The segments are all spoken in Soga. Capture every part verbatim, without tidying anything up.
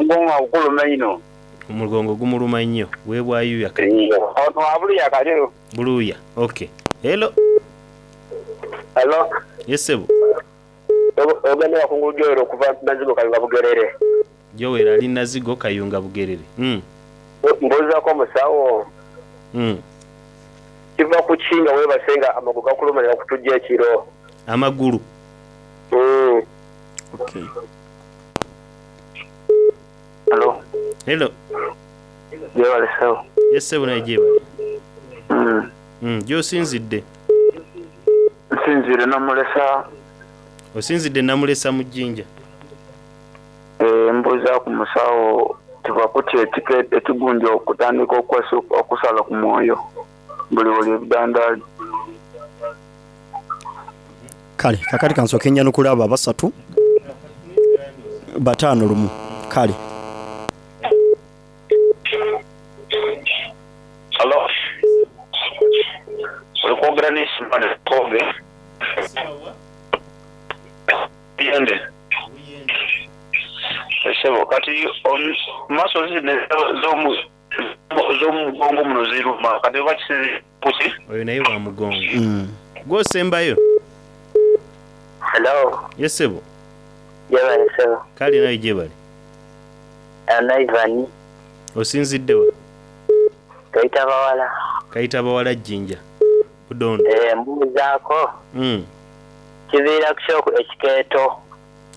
Omugongo nga gukuluma inho. Omugongo gumuluma inho. Webwayuya kati. Ono wa Buluya Kaliro. Buluya. Ok. Hello. Hello. Yes sebo. Ogenda wakungulu Joel okuva Nazigo Kayunga Bugerere. Joel ali Nazigo Kayunga Bugerere. Mm. Mbuuzaku omusawo. Mm. Kiva ku ki nga webase nga amagulu gakuluma ni gakutujja ekiro? Amagulu. Mm. Ok. Hello. Hello. Jebale sebo. Yes sebo naye jebale. Mm. Mm, gyosinzidde? Nsinziire Namulesa. Osinzidde Namulesa mu Jinja? Eh, mbuuzaku musawo kiva kuki ekigundi okutandika okusala ku mwoyo buli woli ebidandali. Kale kakati kansooke njanukule abo abasatu bataano lumu. Kale. Halo. Oli kwogera ni Simon Koge. Buyende. Esebo kati muscles zino ez'omugongo muno ziruma kati oba kisinziira kuki? Oyo naye wa mugongo. Mm. Gwosembayo. Hello. Yes sebo. Jebale sebo. Kale nawe jebale. Ana Ivan. Osinzidde wa? Kaita Bawala. Kaita Bawala Jinja. Budondo. Eh, mbuuzaako. Mm. Kiviira ku kyoku ekikeeto.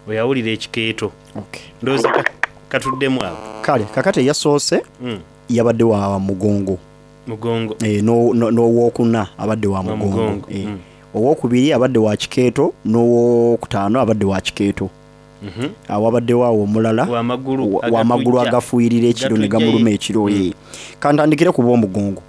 Oyawulira ekikeeto. Okay. Ndowooza katuddemu ago. Kale kakati eyasoose Mm. yabadde wa mugongo. Mugongo. Eh, n'owokuna abadde wa Wa mugongo. mugongo. Eh. Mm. Owokubiri abadde wa kikeeto n'owokutaano abadde wa kikeeto. Mhm. Awabaddewo awo omulala W'amagulu wa- w'amagulu agatujja. agafuuyirira ekiro ne Gatujja gamuluma ye. ekiro. Mm. Eh. Kantandikire ku b'omugongo.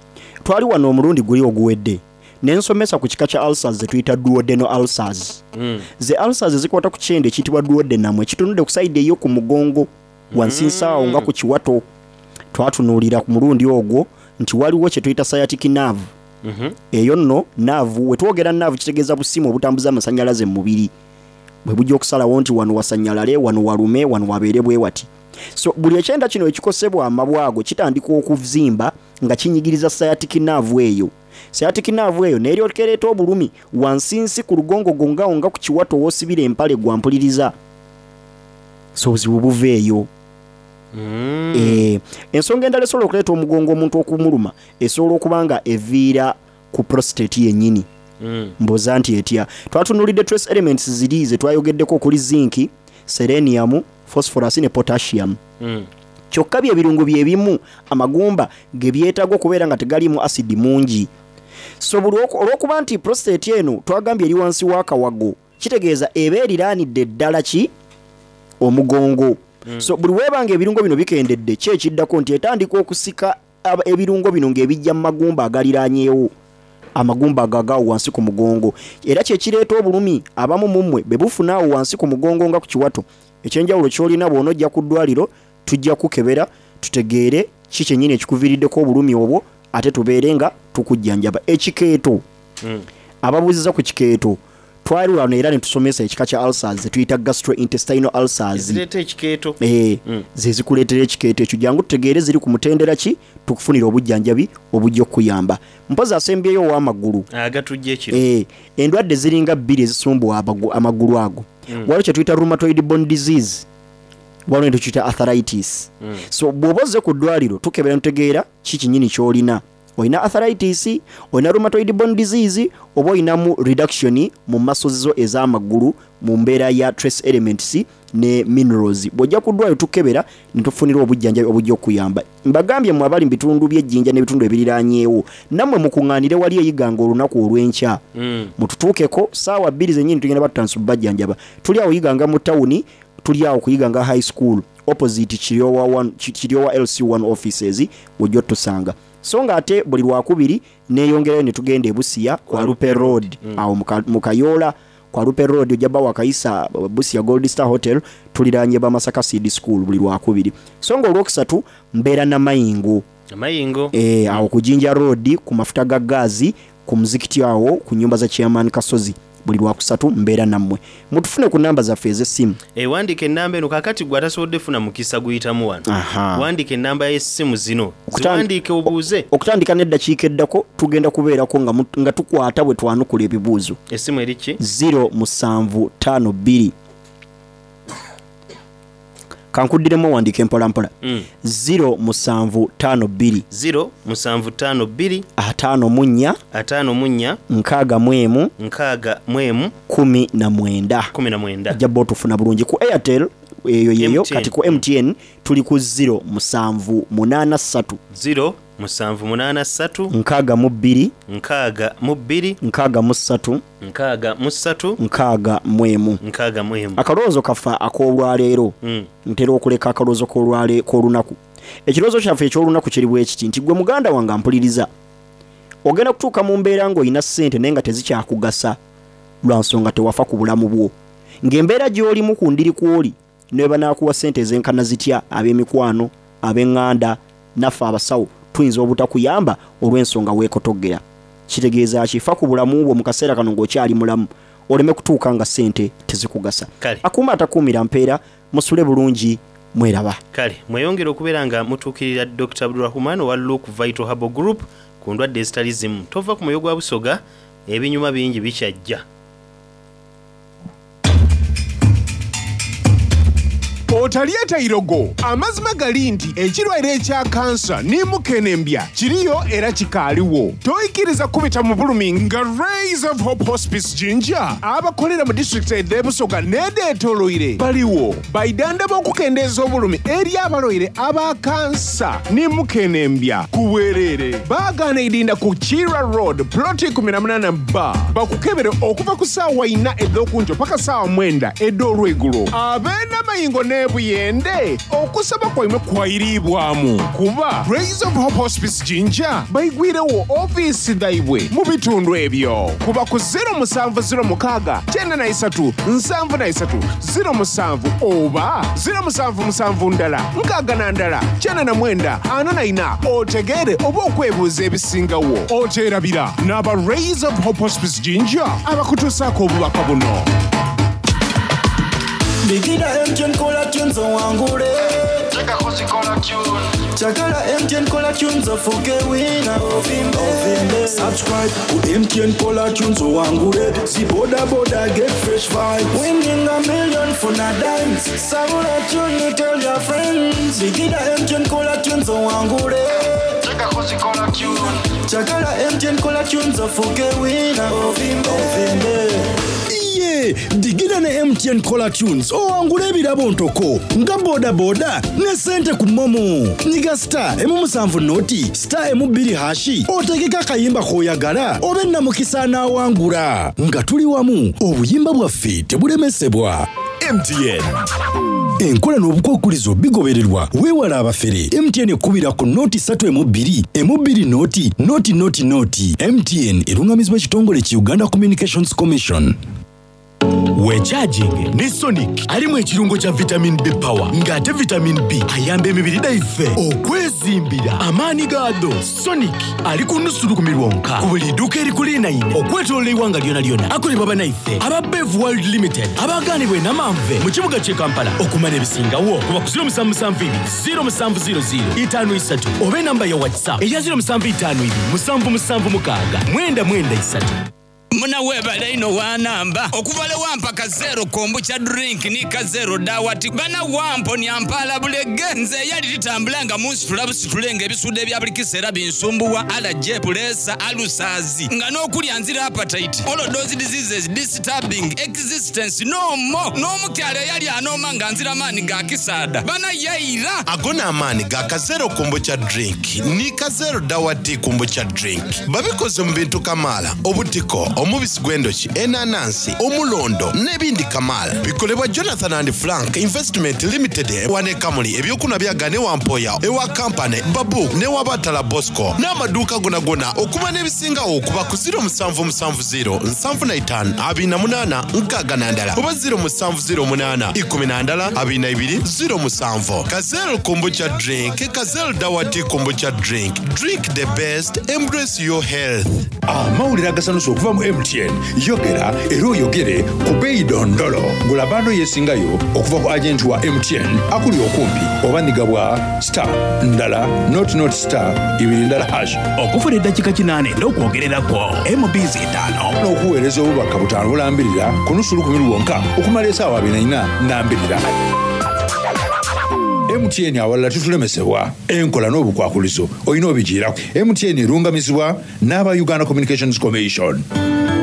Twali wano omulundi guli oguwedde ne nsomesa ku kika kya ulcers ze tuyita duodenal ulcers. Mm. Ze ulcers ezikwata ku kyenda ekiyitibwa duodenum ekitunudde ku sayidi ey'oku mugongo wansi nsaawo nga ku kiwato. Twatunuulira ku mulundi ogwo nti waliwo kye tuyita sciatic nerve. Mhm. Eyo nno nerve, we twogera nerve kitegeeza busimu obutambuza amasannyalaze mu mubiri. Bwe bujja okusalawo nti wano wasannyalale, wano walume, wano wabeere bwe wati. So buli ekyenda kino ekikosebwa amabwa ago kitandika okuzimba nga kinyigiriza sciatic nerve eyo. Sciatic nerve eyo n'eryoka ereeta obulumi wansinsi ku lugongogo nga nga ku kiwato w'osibira empale gwampuliriza. So obuzibu buva eyo. Mm. Eh, ensonga endala esobola okuleeta omugongo omuntu okumuluma esobola okuba nga eviira ku prostate yennyini. Mm. Mbuuza nti etya. Twatunuulidde trace elements ziri ze twayogeddeko okuli zinc, selenium, phosphorus ne potassium. Mm. Kyokka bye birungo bye bimu amagumba ge byetaaga okubeera nga tegaliimu acid mungi. So buli olw'okuba nti prostate eno twagambye eri wansi w'akawago, kitegeeza eba eriraanidde ddala ki omugongo. Mm. So buli weebanga ebirungo bino bikendedde, ki ekiddako nti etandika okusika ebirungo bino ng'ebijja mu magumba agaliraanyeewo, amagumba ago agaawo wansi ku mugongo. Era kye kireeta obulumi abamu mu mmwe be bufuna awo wansi ku mugongo nga ku kiwato. Ekyenjawulo ky'olina bw'onojja ku ddwaliro tujja kukebera tutegeere ki kyennyini ekikuviiriddeko obulumi obwo ate tubeere nga tukujjanjaba. Ekikeeto. Mm. Ababuuziza ku kikeeto twali wano era ne tusomesa ekika kya ulcers ze tuyita gastrointestinal ulcers. Ezireeta ekikeeto. Eh, Mm. ze zikuleetera ekikeeto ekyo. Jangu tutegeere ziri ku mutendera ki tukufunire obujjanjabi obujja okukuyamba. Mpozi asembyeyo ow'amagulu. Agatujja ekiro. Eh, endwadde ziringa bbiri ezisumbuwa amagulu ago. Mm. Waliwo kye tuyita rheumatoid bone disease, waliwo ne tukiyita arthritis. Mm. So bw'oba ozze ku ddwaliro tukebera ntutegeera ki kinnyini ky'olina. Olina arthritis, olina rheumatoid bone disease, oba olinamu reduction mu muscles zo ez'amagulu mu mbeera ya trace elements ne minerals. Bw'ojja ku ddwaliro tukebera ne tufunira obujjanjabi obujja okukuyamba. Mbagambye mmwe abali mu bitundu by'Ejjinja n'ebitundu ebiriraanyeewo, nammwe mukuŋŋaanire wali Iganga olunaku olw'enkya. Mm. Mututuukeko ssaawa bbiri zennyini tugenda batutandisa obbajjanjaba. Tuli awo Iganga mu tawuni, tuli awo ku Iganga High School opposite Kiryowa one, Kiryowa L C one offices wojja otusanga. So nga ate buli lwakubiri neeyongerayo ne tugenda e Busia kwa Lupe Road. Mm. Awo mu Kayoola kwa Lupe Road ojja bba wakayisa Busia Gold Star Hotel, tuliraanye ba Masaka Seed School buli lwakubiri. So nga olwokusatu mbeera Namayingo. Namayingo. Eh, awo ku Jinja Road ku mafuta ga gaazi ku muzikiti awo ku nyumba za Chairman Kasozi Buli lwakusatu mbeera nammwe. Mutufune ku namba zaffe ez'essimu. Eh, wandiika enamba eno kakati gwe atasobodde funa mukisa guyitamu wano. Aha. Wandiika enamba y'essimu zino, Okutan- ziwandiike obuuze. Okutandika n'eddakiika eddako tugenda kubeerako nga, mu- nga tukwata bwe twanukula ebibuuzo. Essimu eri ki? zero musanvu ttaano bbiri, kankuddiremu, owandiika empolampola. Mm. zero musanvu ttaano bbiri, zero musanvu ttaano bbiri, ataano mu nnya, ataano mu nnya, nkaaga mu emu, nkaaga mu emu, kumi na mwenda. Kumi na mwenda. Ajja bba otufuna bulungi ku Airtel eyo yeyo. M T N. Kati ku M T N tuli ku zero musanvu munaana ssatu, zero musanvu munaana ssatu, nkaaga mu bbiri, nkaaga mu bbiri, nkaaga mu ssatu, nkaaga mu ssatu, nkaaga mu emu. Nkaaga mu emu. Akalowoozo kaffe ak'olwaleero, Mm. ntera okuleka akalowoozo k'olwale- k'olunaku. Ekirowoozo kyaffe eky'olunaku kiri bwe kiti nti gwe muganda wange ampuliriza, ogenda kutuuka mu mbeera ng'olina ssente naye nga tezikyakugasa lwa nsonga tewafa ku bulamu bwo, ng'embeera gy'olimu ku ndiri kw'oli ne banaakuwa ssente ezenkana zitya, ab'emikwano, ab'eŋŋanda, naffe abasawo tuyinza obutakuyamba olw'ensonga weekotoggera. Kitegeeza ki? Fa ku bulamu bwo mu kaseera kano ng'okyali mulamu, oleme kutuuka nga ssente tezikugasa. Kale. Akuuma atakuumira mpeera. Musule bulungi, mweraba. Kale mweyongere okubeera nga mutuukirira Doctor Abdurahman owa Luke Vital Herbal Group ku ndwadde ezitali zimu. Tova ku mwoyo gwa Busoga, ebinyuma bingi bikyajja. Otalyeta irogo. Amazima gali nti ekirwaire ekya kansa ni mukenembya kiriyo era kikaaliwo. Toyikiriza kubita mu bulumi nga Rays of Hope Hospice Jinja abakolera mu disitulikiti ed'ebusoga n'edeetoloire baliwo baidandaba okukendeeza obulumi eri abalwaire aba kansa ni mukenembya ku bwereere. Baagaana idinda ku Kira Road, ploti eighteen B, bakukebere okuva ku ssaawa ina ed'okunjo paka ssaawa mwenda ed'olwegulo. Ab'enamayingo n'ebuyende, okusaba kwaimwe kwayiriibwamu kuba Rays of Hope Hospice Jinja baigwirewo ofiisi dhaibwe mu bitundu ebyo. Kuba ku zero musanvu zero mukaaga kyenda na isatu nsanvu na isatu zero musanvu oba zero musanvu musanvu ndala nkaaga na ndala kyenda na mwenda ana na ina, otegeere oba okwebuuza ebisingawo. Oteerabira n'aba Rays of Hope Hospice Jinja abakutuusaako obubaka buno. Bigida M T N caller tunes owangule. Chagala M T N caller tunes ofuke winner. Ovimbe. Subscribe ku M T N caller tunes owangule. Si boda boda, get fresh vibes. Winning a million for na dimes. Sabula tune, tell your friends. Bigida M T N caller tunes owangule. Chagala M T N caller tunes ofuke winner. Ovimbe. Ovimbe. Iye digida ne M T N Caller Tunes owangula ebirabo ntoko nga bodaboda ne sente ku MoMo. Nyiga star emu musanvu noti star emu bbiri hash, otegeke akayimba k'oyagala obe namukisa anaawangula. Nga tuli wamu, obuyimba bwaffe tebulemesebwa. M T N enkola n'obukwakulizo bigobererwa. Weewala abafere. M T N ekubira ku noti ssatu emu bbiri emu bbiri noti noti noti noti. M T N erungamizibwa ekitongole ki Uganda Communications Commission. Wecharging ne Sonic alimu ekirungo kya vitamin B power, ng'ate vitamin B ayamba emibiri gyaffe okwezimbira amaanyi gaado. Sonic ali ku nusu lukumi lwonka ku buli dduuka erikulinaine okwetoloola eggwanga lyona lyona. Akolebwa banaife aba Bev World Limited abagaanibwa enamanve mu kibuga ky'e Kampala. Okumanya ebisingawo kuba ku zero musanvu musanvu bbiri zero musanvu zero zero ttaano ssatu oba enamba ya WhatsApp eya zero musanvu ttaano bbiri musanvu musanvu mukaaga mwenda mwenda ssatu. Munawebale ino wanamba okuva le wampa kazero kombucha drink ni kazero dawati bana wamponya mpala bulege. Nze eyali litambula nga munsitula busitule nga ebisude ebya buli kiseera binsumbuwa, allergy, pressure, ulcers, nga n'okulya nzira appetite, all of those diseases disturbing existence no more. N'omukyala eyali anooma nga nzira maanyi ga kisaada bana yayira. Ago n'amaanyi ga Kazero Kombucha Drink ni Kazero Dawati Kombucha Drink. Babikoze mu bintu kamaala: obutiko, omubisi gw'endoki, enanansi, omulondo n'ebindi kamaala. Bikolebwa Jonathan and Frank Investment Limited wane Kamuli. Ebyokunwa byagane wampoya ewa Kampany Babu newabatala Bosco n'amaduuka gonagona. Okuba n'ebisingawo okuba ku zero musanvu musanvu zero nsanvu na itaano abiri na munaana nkaaga na ndala oba zero musanvu zero munaana ikumi na ndala abiri na ibiri zero musanvu. Kazero Kombucha Drink, Kazero Dawati Kombucha Drink. Drink the best, embrace your health. Amawulire agasanusa okuva mu M T N yogera era oyogere ku beeyi dondolo. Gula bundle yesingayo okuva ku agenti wa M T N akuli okumpi oba nigabwa star ndala nought nought star ibiri ndala hash. Okufuna eddakiika kinaana n'okwogererako M Bs etaano. N'okuweereza obubaka butaano bulambirira ku nusu lukumi lwonka okumala esaawa abiri na ina nambirira. M T N awalala tutulemesebwa enkola n'obukwakulizo olina obigiirako. M T N erungamizibwa n'aba Uganda Communications Commission.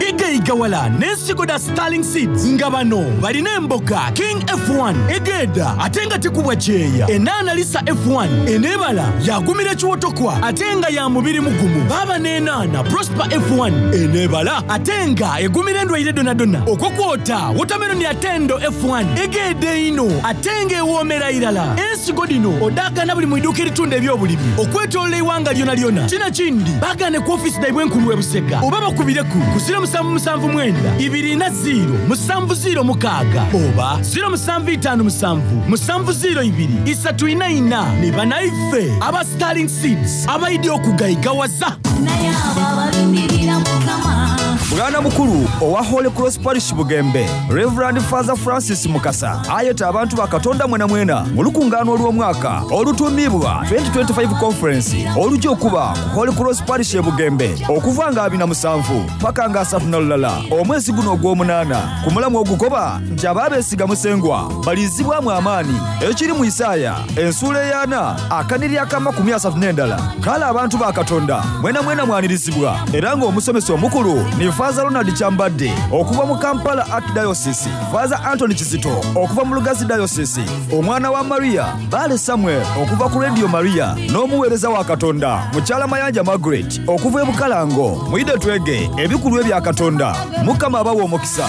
Igayigawala n'ensigo da Starling Seeds nga bano balina emboga King F one egenda ate nga tekubwa kyeya, enaana Lisa F one eneebala yagumira ekiwotokwa ate nga ya mubiri mugumu, baaba n'enaana Prosper F one eneebala ate nga egumira endwaire donadona, okwo kwota watermelon atendo F one egenda ino ate ng'ewoomera irala. Ensigo dino odaagana buli mu iduuka eritunda ebyobulimi okwetolola eiwanga lyona lyona. Kina kindi bagane ku ofisi daibwe enkulu e Busega oba bakubireku ku ziro musanvu musanvu mwenda ibiri na ziro musanvu ziro mukaaga oba ziro musanvu itaano musanvu musanvu ziro ibiri isatu ina ina. Ni banaife aba Starling Seeds abaidi okugayigawaza. Naye abo abalindirira Mukama. Bwana mukulu owa Holy Cross Parish Bugembe, Reverend Father Francis Mukasa, ayeta abantu ba Katonda mwena mwena mu lukungaano olw'omwaka olutuumibwa twenty twenty-five Conference olujja okuba ku Holy Cross Parish e Bugembe okuva nga abiri na musanvu paka nga asatu na lulala omwezi guno ogw'omunaana, ku mulamu ogukoba nti abaabeesiga Musengwa balizibwamu amaanyi, ekiri mu Isaaya ensuula ey'ana akaniri ak'amakumi asatu n'endala. Kale abantu ba Katonda mwena mwena mwanirizibwa, era ng'omusomesa omukulu ni Father Ronald Kyambadde okuva mu Kampala Archdiocese, Father Anthony Kizito okuva mu Lugazi Diocese, omwana wa Maria Bale Samuel okuva ku Radio Maria, n'omuweereza wa Katonda mukyala Mayanja Margaret okuva e Bukalango. Mwide twege ebikulu ebya Katonda. Mukama abawa omukisa.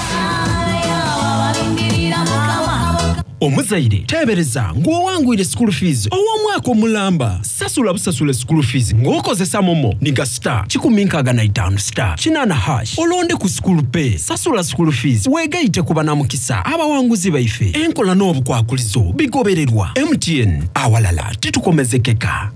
Abalindirira Mukama. Omuzaire teebereza ng'owangwire school fees ow'omwaka omulamba. Sasula busasula school fees ng'okozesa MoMo. Niga star kikumi nkaaga na itaano star kinaana hash, olonde ku school pay, sasula school fees, weegayite ku banamukisa abawanguzi baife. Enkola n'obukwakulizo bigobererwa. M T N, awalala titukomezekeka.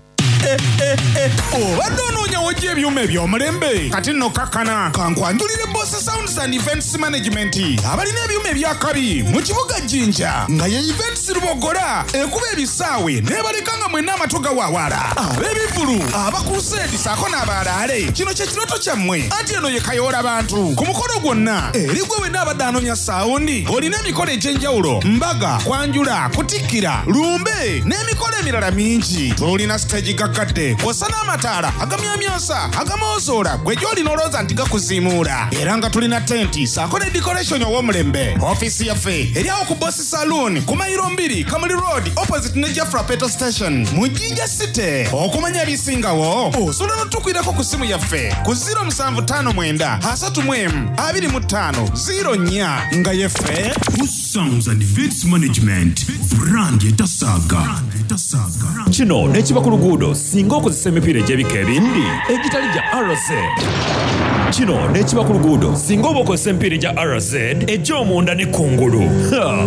Obadde onoonya wojja ebyuma eby'omulembe? Kati nno kakkana kankwanjulire Boss Sounds and Events Management, abalina ebyuma ebyakabi mu kibuga Jjinja, nga ye Events Lubogola ekuba ebisaawe n'ebaleka nga mwenna amatu gawaawala. Ab'ebivulu, abakuseedi saako n'abaalaale, kino kye kirooto kyammwe, anti eno ye kayoola bantu ku mukolo gwonna. Eri gwe wenna abadde anoonya sound, olina emikolo egy'enjawulo, mbaga, kwanjula, kutikkira, lumbe n'emikolo emirala mingi, tulina stage gaggadde kw'ossa n'amataala agamyamyansa agamozoola gwe gy'olina olowooza nti gakuziimuula, era nga tulina tenti saako ne decoration ow'omulembe. Ofiisi yaffe eri awo ku Boss Saloon ku mayiro mbiri, Kamuli Road, opposite ne Jafra Petrol Station mu Jinja City. Okumanya ebisingawo osobola n'otukwirako ku ssimu yaffe ku ziro musanvu ttaano mwenda asatu mu emu abiri mu ttaano ziro nnya, nga yeffe Sounds and Events Management, brand etasaaga. Kino nekiba ku luguudo singa okozesa emipiira egy'ebika ebindi egitali gya R Z. Kino nekiba ku luguudo singa oba okozesa emipiira egya R Z egy'omunda ne kungulu. Ha!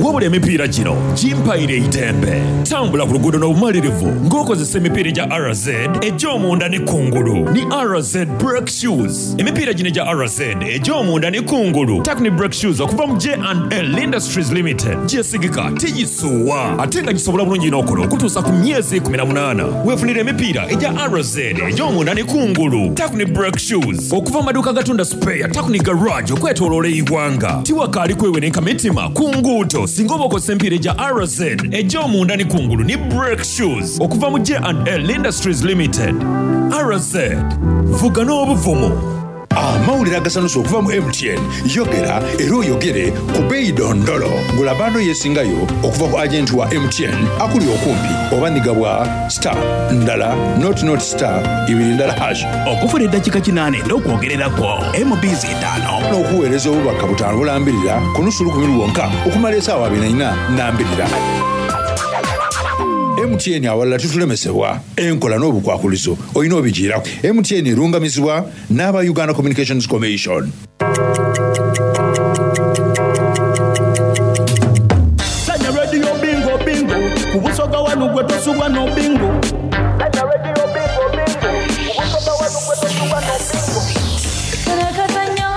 Wabula emipiira gino gimpaire eitembe. Tambula ku luguudo n'obumalirivu ng'okozesa emipiira egya R Z egy'omunda ne kungulu ni R Z brake shoes. Emipiira gino egya R Z egy'omunda ne kungulu Takni brake shoes okuva mu J and L Industries Limited gyesigika, tigisuuwa, ate nga gisobola bulungi n'okola okutuusa ku myezi kkumi na munaana. Weefunira emipiira egya R Z egy'omunda ne kungulu Takni brake shoes okuva mu maduuka gatunda spare Takni Garage okwetooloola eggwanga. Tiwakaali kwewenenka mitima ku nguudo singa oba okozesa emipiira egya R Z egy'omunda ne kungulu ne brake shoes okuva mu J and L Industries Limited. R Z, vuga n'obuvumu. Amawulire agasanusa okuva mu M T N yogera era oyogere ku beeyi dondolo. Gula bundle yesingayo okuva ku agenti wa M T N akuli okumpi oba nigabwa star ndala nought nought star ibiri ndala hash. Okufuna eddakiika kinaana n'okwogererako M Bs etaano. N'okuweereza obubaka butaano bulambirira ku nusu lukumi lwonka okumala esaawa abiri na ina nambirira. M T N awalala tutulemesebwa enkola n'obukwakulizo olina obigiirako. M T N erungamizibwa n'aba Uganda Communications Commission. Sanya Radio bingo bingo ku Busoga wanu gwe tosubwa no bingo. Sanya Radio bingo bingo ku Busoga wanu gwe tosubwa no bingo. Karakazanyo.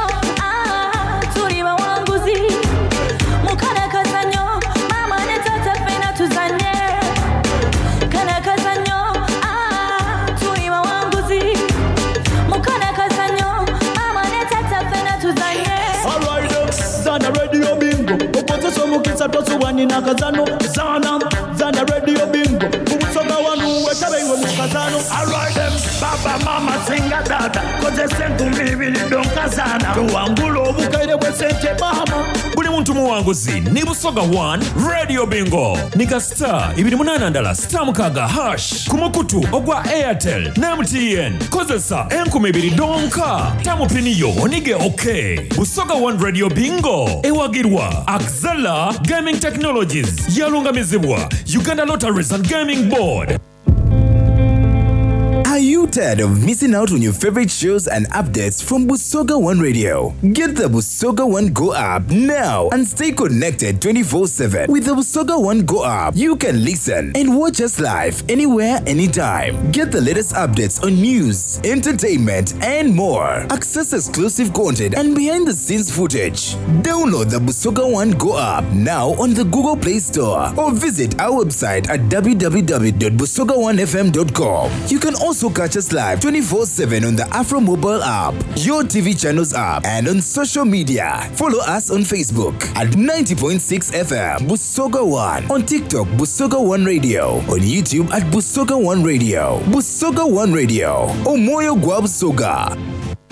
Akazano zana zana radio bingo kubusoga wanu wetabeiwe mu kazano. Alright them, baba mama singa dada kozesa enkumi ibiri donkazana tuwangula obukaire bwesente mama. Buli muntu muwanguzi ni Busoga one Radio Bingo nika star ibiri munana ndala star mukaga hash ku mukutu ogwa Airtel ne M T N kozesa enkumi ibiri donka tamupiniyo onige okay. Busoga one Radio Bingo ewagirwa Axela Gaming Technologies yalungamizibwa Uganda Lotteries and Gaming Board. Are you tired of missing out on your favorite shows and updates from Busoga One Radio? Get the Busoga One Go app now and stay connected twenty-four seven. With the Busoga One Go app, you can listen and watch us live anywhere, anytime. Get the latest updates on news, entertainment, and more. Access exclusive content and behind-the-scenes footage. Download the Busoga One Go app now on the Google Play Store or visit our website at w w w dot busoga one f m dot com. You can also catch us live twenty-four seven on the Afro mobile app, your T V channels app, and on social media. Follow us on Facebook at ninety point six F M Busoga One, on TikTok Busoga One Radio, on YouTube at Busoga One Radio. Busoga One Radio, Omoyo gwa Busoga.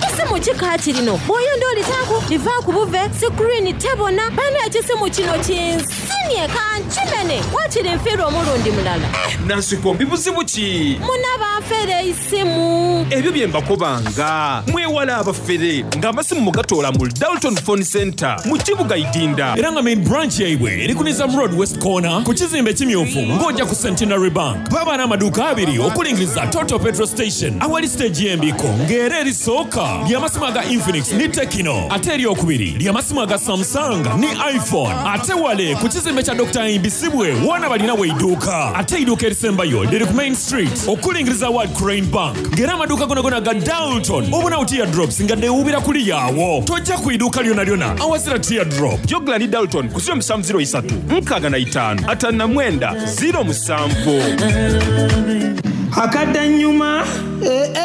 Ekisimu kikaati lino bw'oyonda olitaako liva ku buve sikirini tebona bana ekisimu kino kinsinye kankimene wakiri nfiirwa omulundi mulala. Nansikombi buzibu ki? Munaba nfere isimu. Ebyo bye mbakobanga mwewala abafere ng'amasimu mugatoola mu Dalton Phone Center mu kibuga Idinda era nga main branch yaibwe eri ku Nizam Road West Corner ku kizimbe ekimyufu ng'ojja ku Centenary Bank. Baba n'amaduuka abiri okulingiriza Total Petrol Station awali stage y'embiko ng'era erisooka ly'amasimu aga Infinix ni Tecno ate eryokubiri ly'amasimu aga Samsung ni iPhone ate wale ku kizimbe kya Doctor Imbisibwe wona balina weidduuka ate eidduuka erisembayo liri ku Main Street okulingiriza World Crane Bank ng'era amaduuka gonagona ga Dalton obunawo teardrops nga deewubira kuli yaawo tojja ku idduuka lyona lyona awazira teardrop. Jogla ni Dalton ku ziro musanvu ziro isatu nkaaga na itaano ataano na mwenda ziro musanvu. Akadanyuma eh, eh.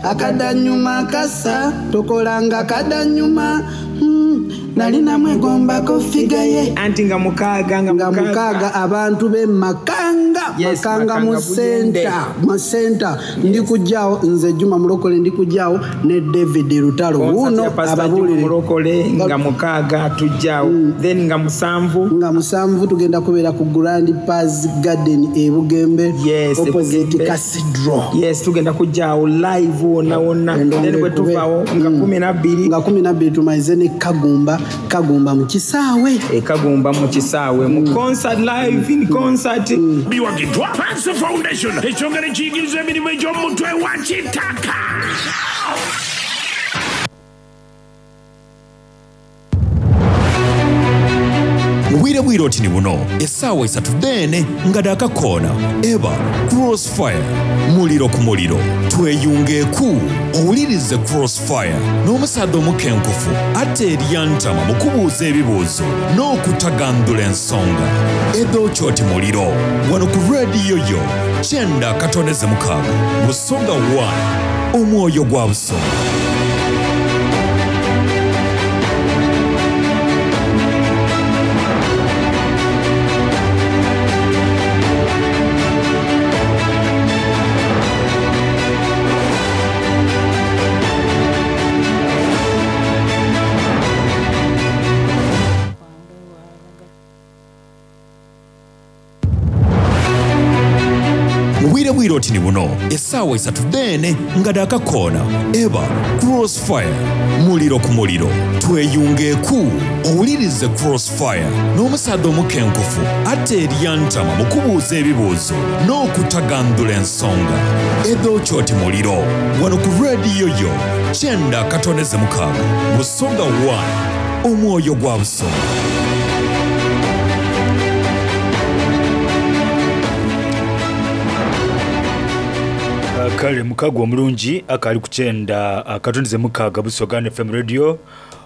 Akadanyuma kasa tukolanga kadanyuma mm, nali namwegombako figa ye anti nga mukaaga nga mukaaga abantu be Makanga. Yes, Makanga mu center mu center. Yes. Ndi kujjaawo nze Juma Mulokole ndi kujjaawo ne David Lutalo wuno ababuulire Mulokole nga mukaaga tujjaawo mm. Then nga musanvu nga musanvu tugenda kubeera ku Grand Paz Garden e Bugembe. Yes, opposite Cathedral. Yes, tugenda kujjaawo live wonna wonna then bwe tuvaawo nga kumi na bbiri nga kumi na bbiri tumalize ne Kagumba Kagumba mu kisaawe e Kagumba mu kisaawe mu concert live in concert mm. Biwagidwa Panso Foundation ekyongera ekiyigiriza emirimu egy'omutwe wa kitaka. Bwire bwire oti ni buno essaawa esatu dene nga daakakoona eba Crossfire muliro ku muliro tweyungeeku owulirize Crossfire n'omusaadde omukenkufu ate eryantama mu kubuuza ebibuuzo n'okutagandula ensonga edookyoti muliro wano ku rediyo yo kyenda katoneze mukaaga Busoga one omwoyo gwa Busoga. Oti ni buno essaawa esatu dene nga daakakoona eba Crossfire muliro ku muliro tweyungeeku owulirize Crossfire n'omusaadde omukenkufu ate eryantama mu kubuuza ebibuuzo n'okutagandula ensonga edookyoti muliro wano ku rediyo yo kyenda katoneze mukaaga Busoga one omwoyo gwa Busoga. Kale mukago omulungi akali kukyenda akatoneze mukaaga Busoga F M Radio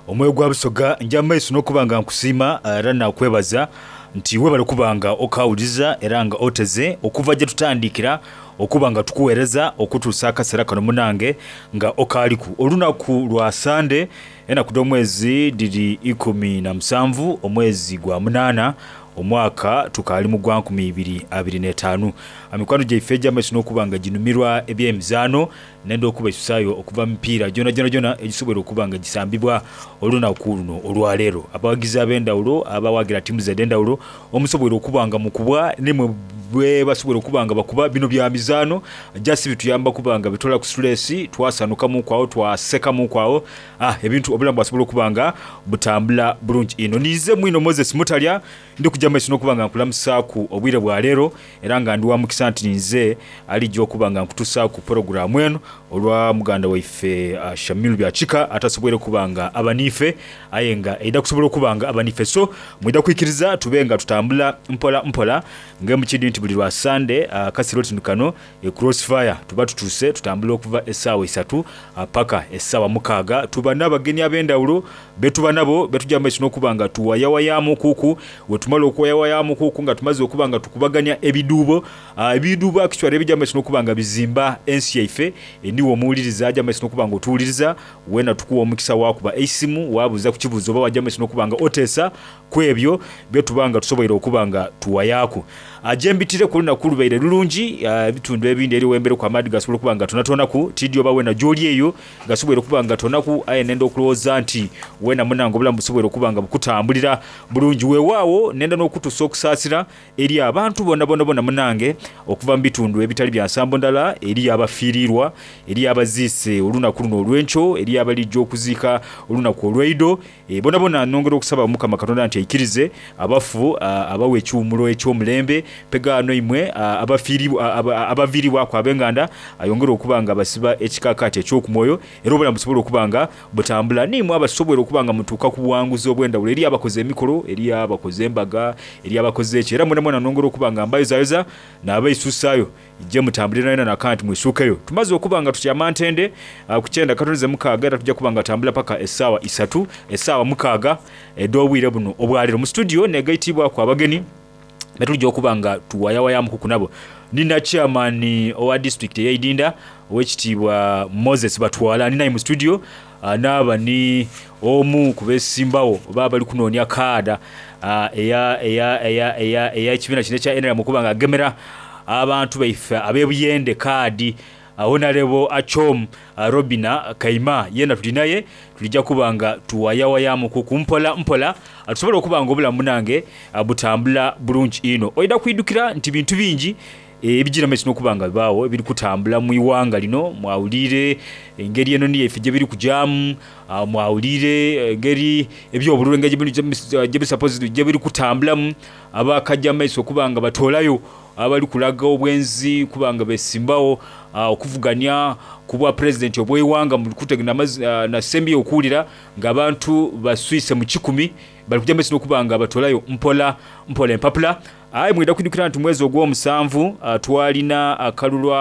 omwoyo gwa Busoga nja maiso n'okubanga nkusiima era nakwebaza nti webale kubanga okawuliza era nga oteze okuva gye tutandikira okuba nga tukuweereza okutuusa akaseera kano munange nga okaaliku olunaku lwa Sande enaku dh'omwezi dhiri ikumi na musanvu omwezi gwa munaana Omwaka tukaali mu gwa nkumi ibiri abiri n'etaanu. Mikwano gyaife egy'amaiso n'okuba nga ginumirwa eby'emizaano nenda okubaisusayo okuva mu mipiira gyonagyona egisoboire okuba nga gisambibwa olunaku luno olwaleero. Abawagizi ab'endawulo abawagira ttiimu edh'endawulo omusoboire okuba nga mukubwa nimwe bwebasoboire okuba nga bakuba. Bino bya mizaano just bituyamba kuba nga bitoola ku stress, twasanukamuku agho, twasekamuku agho, ah ebintu obulamu bwasobola okuba nga butambula bulungi inho. Ninze mwino Moses Mutalya ndi kujja maiso n'okuba nga nkulamusaaku obwire bwa leero, era nga ndi wa mukisa nti ninze alijja okuba nga nkutusaaku pulogulaamu eno olwa muganda waife uh, Shamil Byakika atasoboire kuba nga aba niife, aye nga aidha kusobola okuba nga aba niife. So mwidha kwikiriza tube nga tutambula mpola mpola ng'emukidi nti buli lwa Sande akasiro tino kano e Crossfire tuba tutuuse tutambula okuva essaawa isatu paka essaawa mukaaga. Tuba n'abagenyi ab'endawulo betuba nabo betujja maiso n'okuba nga tuwayawayaamu kuku. Wetumala okuwayawayaamu kuku nga tumaze okuba nga tukubaganya ebiduubo, ebiduubo actually ebijja maiso n'okuba nga bizimba ensi yaife. Niwe omuwuliriza ajja maiso n'okuba nga otuwuliriza, weena tukuwa omukisa wakuba eisimu wabuuza ku kibuuzo oba wajja maiso n'okuba nga oteesa ku ebyo byetuba nga tusoboire okuba nga tuwayaaku. Gyembitire ku lunaku lubaire lulungi, ebitundu ebindi eri wembereku amaadhi gasobola okuba nga tonatonaku, tidi oba weena gy'oli eyo gasoboire okuba nga tonaku, aye nenda okulowooza nti weena munange obulamu busoboire okuba nga bukutambulira bulungi. Weewaawo nenda n'okutuusa okusaasira eri abantu bona bona bona munange okuva mu bitundu ebitali bya nsambo ndala, eri abafiirirwa, eri abaziise olunaku luno olw'enkyo, eri abalijja okuziika olunaku olw'eido. E, bona bona nongera okusaba Mukama Katonda nti aikirize abafu abawe ekiwumulo eky'omulembe, pegaano imwe abaviiribwaku ab'enganda ayongere okuba nga basiba ekikakaati eky'okumwoyo, era obulamu busobole okuba nga butambula. Niimwe abasoboire okuba nga mutuuka ku buwanguzi obw'endawulo, eri abakoze emikolo, eri abakoze embaga, eri abakoze eki, era mwena mwena nongera okuba nga mbayozayoza n'abaisuusaayo gye mutambulira nayo naka nti mwisuukeyo. Tumaze okuba nga tutyama ntende ku kyenda katoneze mukaaga, era tujja kuba nga tambula paka essaawa isatu, essaawa mukaaga edh'obwire buno obwaleero. Mu studio negaitibwaku abagenyi betujja okuba nga tuwayawayamuku nabo. Nina chairman owa district ey'Eidinda ow'ekitiibwa Moses Batwala ninaye mu studio, naaba ni omu ku beesimbawo oba abali kunoonia kaada eya eya eya eya ey'ekibiina kino ekya N R M okuba nga agemera abantu baife ab'ebuyende kaadi, Honorable Achom Robina Kaima yena tuli naye. Tulijja kuba nga tuwayawayamuku ku mpola mpola tusobole okuba nga obulamu munange butambula bulungi inho. Oidha kwidukira nti bintu bingi ebigira maiso n'okuba nga bibaawo ebiri kutambula mu iwanga lino. Mwawulire engeri eno niyo ife gye biri kujaamu, mwawulire engeri ebyobululu engeri gye biri kutambulamu, abakajja maiso okuba nga batoolayo abali kulaga obwenzi kuba nga besimbawo okuvuganya ku bwa pulezidenti obw'eiwanga mu kutegana nasembye okuwulira ng'abantu baswise mu kikumi bali kujja maiso n'okuba nga batoolayo mpola mpola empapula. Aye mwida kwidukira nti mwezi ogw'omusanvu twalina akalulu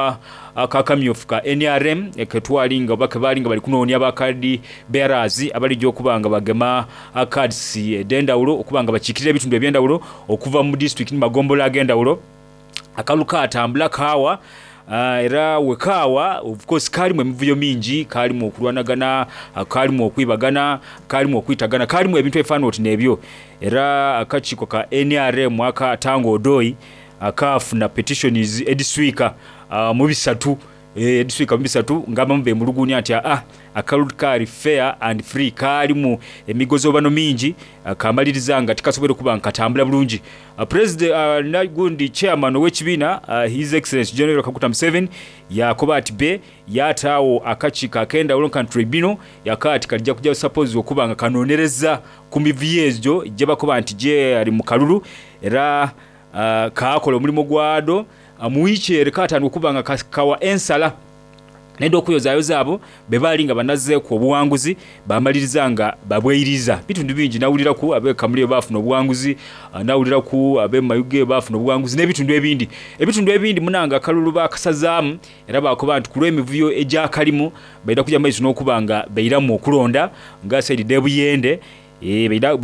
akakamyufu ka N R M ketwali nga oba kebaali nga bali kunoonia bakadi bearers abalijja okuba nga bagema cards ed'endawulo okuba nga bakiikirira ebitundu eby'endawulo okuva mu disitulikiti ni magombola ag'endawulo. Akalulu katambula kaawa, era wekaawa of course kalimu emivuyo mingi, kalimu okulwanagana, kalimu okwibagana, kalimu okwitagana, kalimu ebintu ebifaanana oti n'ebyo. Era akakiiko ka N R M aka Tanga Odoi akafuna petitions ediswika mu bisatu, ediswika mu bisatu ng'abamu bemulugunya nti aa akalulu kaali fair and free, kalimu emigozobano mingi, kamaliriza nga tikasoboire kuba nga katambula bulungi. President nagundi chairman ow'ekibiina His Excellency General Kaguta Museveni yakoba ati be yataawo akakiiko ak'endawulo nka tribunal yakaati kalijja kujja suppose okuba nga kanonereza ku mivuyo egyo gye bakoba nti gye ali mu kalulu, era kaakola omulimu gwado mu wiiki ere kaatandika okuba nga kawa ensala nenda okuyozayoza abo be baali nga banazeeku obuwanguzi bamaliriza nga babweiriza. Bitundu bingi nawuliraku ab'e Kamuli baafuna obuwanguzi, nawuliraku ab'e Mayuge baafuna obuwanguzi n'ebitundu ebindi. Ebitundu ebindi munanga akalulu bakasazaamu era bakoba nti ku lw'emivuyo egyakalimu baida kujja maiso n'okuba nga bairamu okulonda nga saidi d'ebuyende.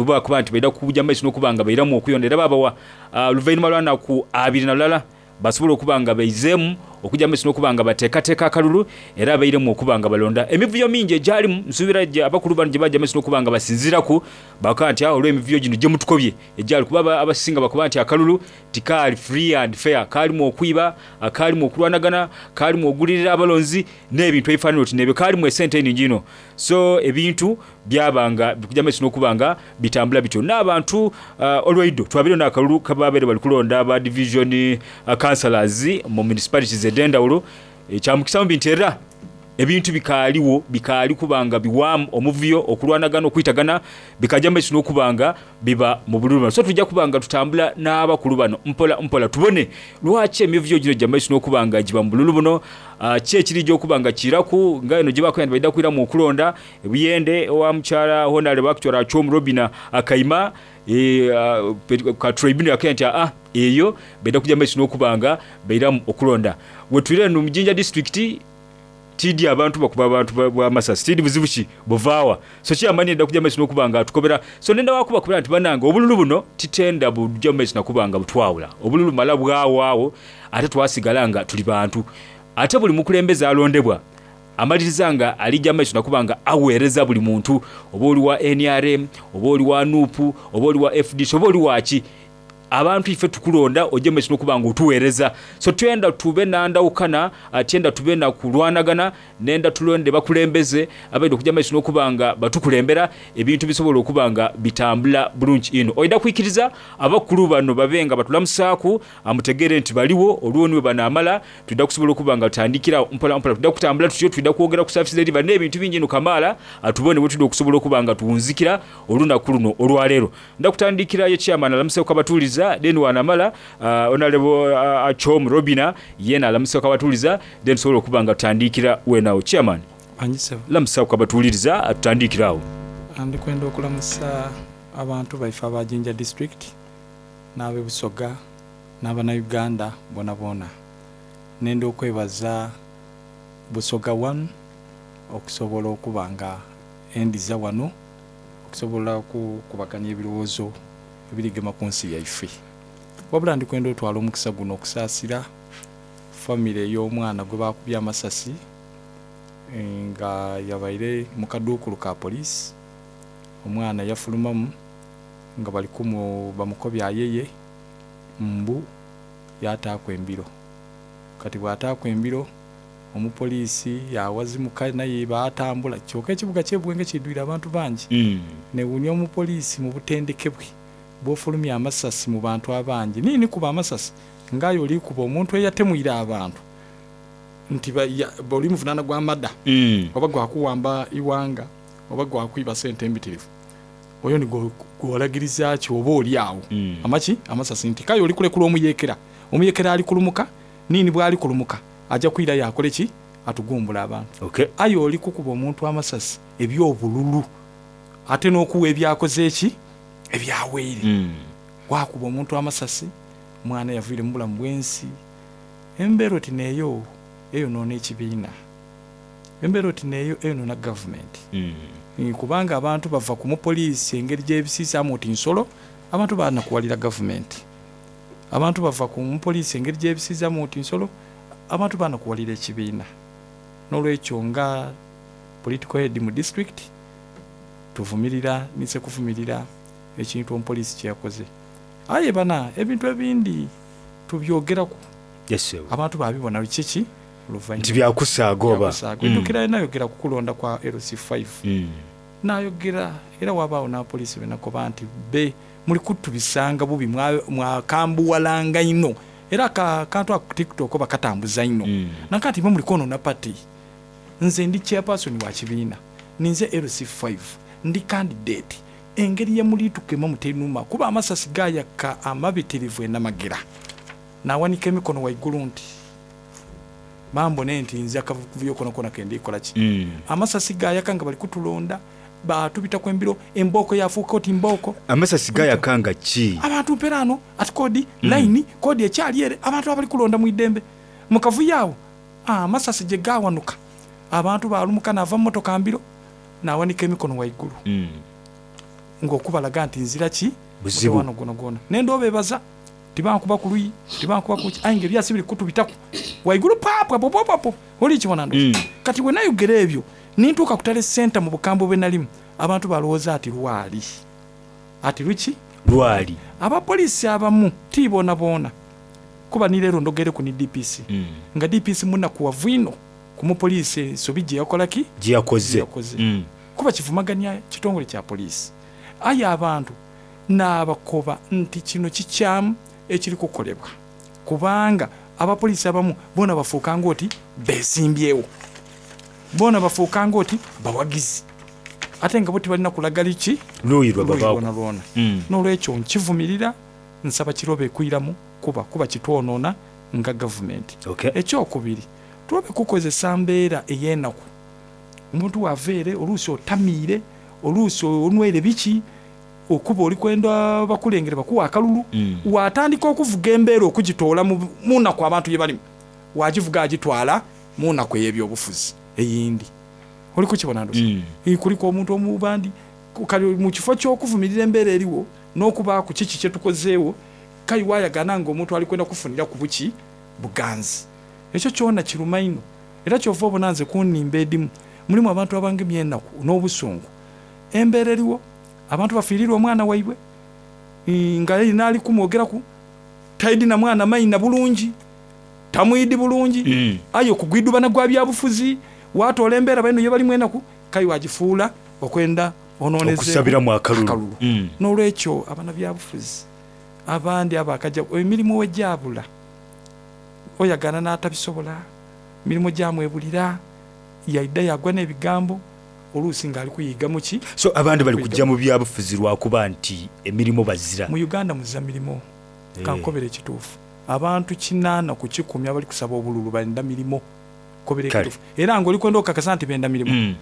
Bakoba nti baida kujja maiso n'okuba nga bairamu okuyonda, era babawa oluvannyuma lwa nnaku abiri na lulala basobola okuba nga baizeemu okujja maiso n'okuba nga bateekateeka akalulu era abairemu okuba nga balonda emivuyo mingi egyalimu nsuubira abakulu bano gye bajja maiso n'okuba nga basinziiraku bakaa nti olw'emivuyo gino gye mutukobye egyali kuba abasinga bakuba nti akalulu tikaali free and fair, kaalimu okwiba, kaalimu okulwanagana, kaalimu ogulirira abalonzi n'ebintu ebifaanana oti n'ebyo, kaalimu esente eningi ino. So ebintu byabanga bikujja maiso n'okuba nga bitambula bityo n'abantu uh, olwaido twabeire n'akalulu kababeire bali kulonda ba division uh, councillors mu municipalities ed'endawulo. Ekyamukisa mu bintu era ebintu bikaaliwo bikaali kubanga biwamu omuvuyo okulwanagana okwitagana bikajja maiso n'okubanga biba mu bululu bano. So tujja kubanga tutambula n'abakulu bano mpola mpola tubone lwaki emivuyo gino gya maiso n'okubanga giba mu bululu buno. Uh, ki ekiri gy'okubanga kiraku nga eno gye bakoya nti baidda kwiramu okulonda ebuyende owa mukyala Honorable Actual Achom Robina Akaima e, uh, ka tribunal yakoya nti ah eyo baidda kujja maiso n'okubanga bairamu okulonda. Wetwire eno mu Jinja district tidi abantu bakuba abantu bwa masasi tidi buzibu ki buvaawa so kyamani enda kujja maiso n'okubanga atukobera. So nenda wakuba kubera nti banange obululu buno titenda bujja maiso nakubanga butwawula obululu mala bwawaawo ate twasigala nga tuli bantu ate buli mukulembeze alondebwa amaliriza nga alijja maiso nakubanga aweereza buli muntu oba oli wa N R M oba oli wa N U P oba oli wa F D C oba oli waki abantu ife tukulonda ojje maiso n'okubanga otuweereza. So twenda tube nandawukana atyenda tube na kulwanagana nenda tulonde bakulembeze abaida okujja maiso n'okubanga batukulembera ebintu bisobola okubanga bitambula bulungi ino. Oida kwikiriza abakulu bano babenga batulamusaaku amutegere nti baliwo olwoniwe banaamala tudda kusobola okubanga tutandikira mpola mpola tudda kutambula tutyo tudda kwogera ku service delivery n'ebintu bingi ino kamaala atubone bwe tudda okusobola okubanga tuwunzikira olunaku luno olwaleero. Nda kutandikirayo chairman alamuseeko abatuuliza then wanamala uh, Honorable uh, Achom Robina yena alamusa kabatuliza then sobola okubanga tutandikira wenawo. Chairman lamusa kabatuliza atutandikirawo. Andi kwenda okulamusa abantu baife aba Jinja district n'abe Busoga n'abana Uganda bona bona. Nenda okwebaza Busoga one okusobola okubanga endiza wano okusobola okubaganya ebirowoozo ebirigema ku nsi yaife. Wabula ndikwenda otwala omukisa guno okusaasira famire ey'omwana gwe bakubye amasasi nga yabaire mu kaduukulu ka poliisi. Omwana yafulumamu nga bali kumu bamukobya ayeye mbu yataakwa embiro. Kati bw'ataakwa embiro omupoliisi yawazimuka naye baatambula kyokka ekibuga ky'Ebuwenge kidwire abantu bangi. Mm. Newuunya omupoliisi mu butendeke bwe bw'ofulumya amasasi mu bantu abangi nini kuba amasasi ngayo oli kuba omuntu eyatemwira abantu nti oli muvunaana gwa mada mm. oba gwakuwamba iwanga oba gwakwiba sente embitirivu oyo ni gwolagiriza ki oba oli awo mm. amaki amasasi nti kayo oli kulekula omuyekera omuyekera ali kulumuka nini bwali kulumuka ajja kwira yakole ki atugumbula abantu. Okay. Ayo oli kukuba omuntu amasasi ebyobululu ate n'okuwa ebyakoze ki ebyaweere. Mm. Wakuba omuntu amasasi mwana yaviire mu bulamu bw'ensi. Embeera oti neeyo eyonoona ekibiina, embeera oti neeyo eyonoona gavumenti. Mm. Kubanga abantu bava ku mupoliisi engeri gy'ebisiisaamu oti nsolo, abantu banakuwalira gavumenti. Abantu bava ku mupoliisi engeri gy'ebisiisaamu oti nsolo, abantu banakuwalira ekibiina. N'olwekyo nga political head mu district tuvumirira nise kuvumirira ekintu omupoliisi kyeyakoze. Aye bana ebintu ebindi tubyogeraku. Yes, abantu babibona kiki nti byakusaaga oba mm. Nayogera ku kulonda kwa L C five. Mm. Nayogera era wabaawo n'apoliisi benakoba nti be muli kutubisanga bubi mwakambuwalanga ino era akantu ako TikTok bakatambuza ino. Mm. Nakati mwe muli kwonoona party. Nze ndi chairperson wa kibiina, ninze L C five, ndi candidate. Engeri ye mulitukema mutenuma kuba amasasi gayaka amabitirivu enamagera nawanika emikono waigulu nti bambone nti nze akavuyo kono kona kendi kola ki. Mm. Amasasi gayaka nga bali kutulonda batubita kwembiro emboko yafuuka oti mboko amasasi gayaka nga ki abantu mperano ati kodi mm. line kodi ekyali ere abantu abali kulonda mu idembe mukavuyo awo amasasi gye gawanuka abantu balumuka nava motoka mbiro nawanika emikono waigulu. Mm. Ng'okubalaga nti nzira ki buzibu gona gona nendo bebaza Tibankuba ku luyi, tibankuba ku ki, aye nga ebyasi biri kutubitaku waigulu papwapopopapo oli kibona ndo. Kati bwe nayogera ebyo nintuuka kutale senta mu bukambwe bwe nalimu, abantu balowooza ati lwali ati luki lwali. Abapoliisi abamu ti boona boona, kuba ni leero ndogereku ni D P C, nga D P C munakuwavu ino ku mupoliisi ensobi gye yakola ki? Gye yakoze. Gye yakoze. Mm. Kuba kivumaganya kitongole kya poliisi. Aye abantu n'abakoba nti kino kikyamu ekiri kukolebwa, kubanga abapoliisi abamu boona bafuuka ng'oti beesimbyewo, boona bafuuka ng'oti bawagizi, ate nga bo tibalina kulaga liki Luuyi lwe luuyi babaako. lwona lwona. Mm. N'olwekyo nkivumirira, nsaba kirobe kwiramu kuba kuba kitwonoona nga gavumenti. Okay. Ekyokubiri, tulobe kukozesa mbeera ey'enaku. Omuntu waveere oluusi otamiire, oluusi onywere biki, okuba oli kwenda bakulengere bakuwa akalulu, Mm. watandika okuvuga embeera okugitoola mu mu nnaku abantu gye balimu, wagivuga agitwala mu nnaku ey'ebyobufuzi eyindi. Oli kukibona ndoza? Mm. Eh, kuliko omuntu omubandi kale mu kifo ky'okuvumirira embeera eriwo n'okubaaku kiki kye tukozeewo, kale waayagana ng'omuntu ali kwenda kufunira ku buki buganzi. Ekyo kyona kiruma ino, era kyova obona nze kunnimba edimu mulimu abantu abangemye ennaku n'obusungu. Embeera eriwo, abantu bafiirirwa omwana waibwe, eh, nga yena ali kumwogeraku taidi na mwana maina bulungi, tamwidi bulungi, Mm. aye okugwidubana gwa byabufuzi watoola embeera baino ye balimu enaku, kale wagifuula okwenda onooneze okusabiramu akalulu. akalulu. Mm. N'olwekyo abanabyabufuzi abandi abakajja emirimu wejabula oyagana n'atabisobola, emirimu gyamwebulira, yaidda yagwa n'ebigambo oluusi ng'ali kuyiga muki. So abandi bali kujja mu byabufuzi lwakuba nti emirimu bazira. Mu Uganda muza mirimu. Eh. Kankobera ekituufu, abantu kinaana ku kikumi abali kusaba obululu benda mirimu. Kobera Kale. ekituufu, era ng'oli kwenda okukakasa nti benda mirimu, Mm.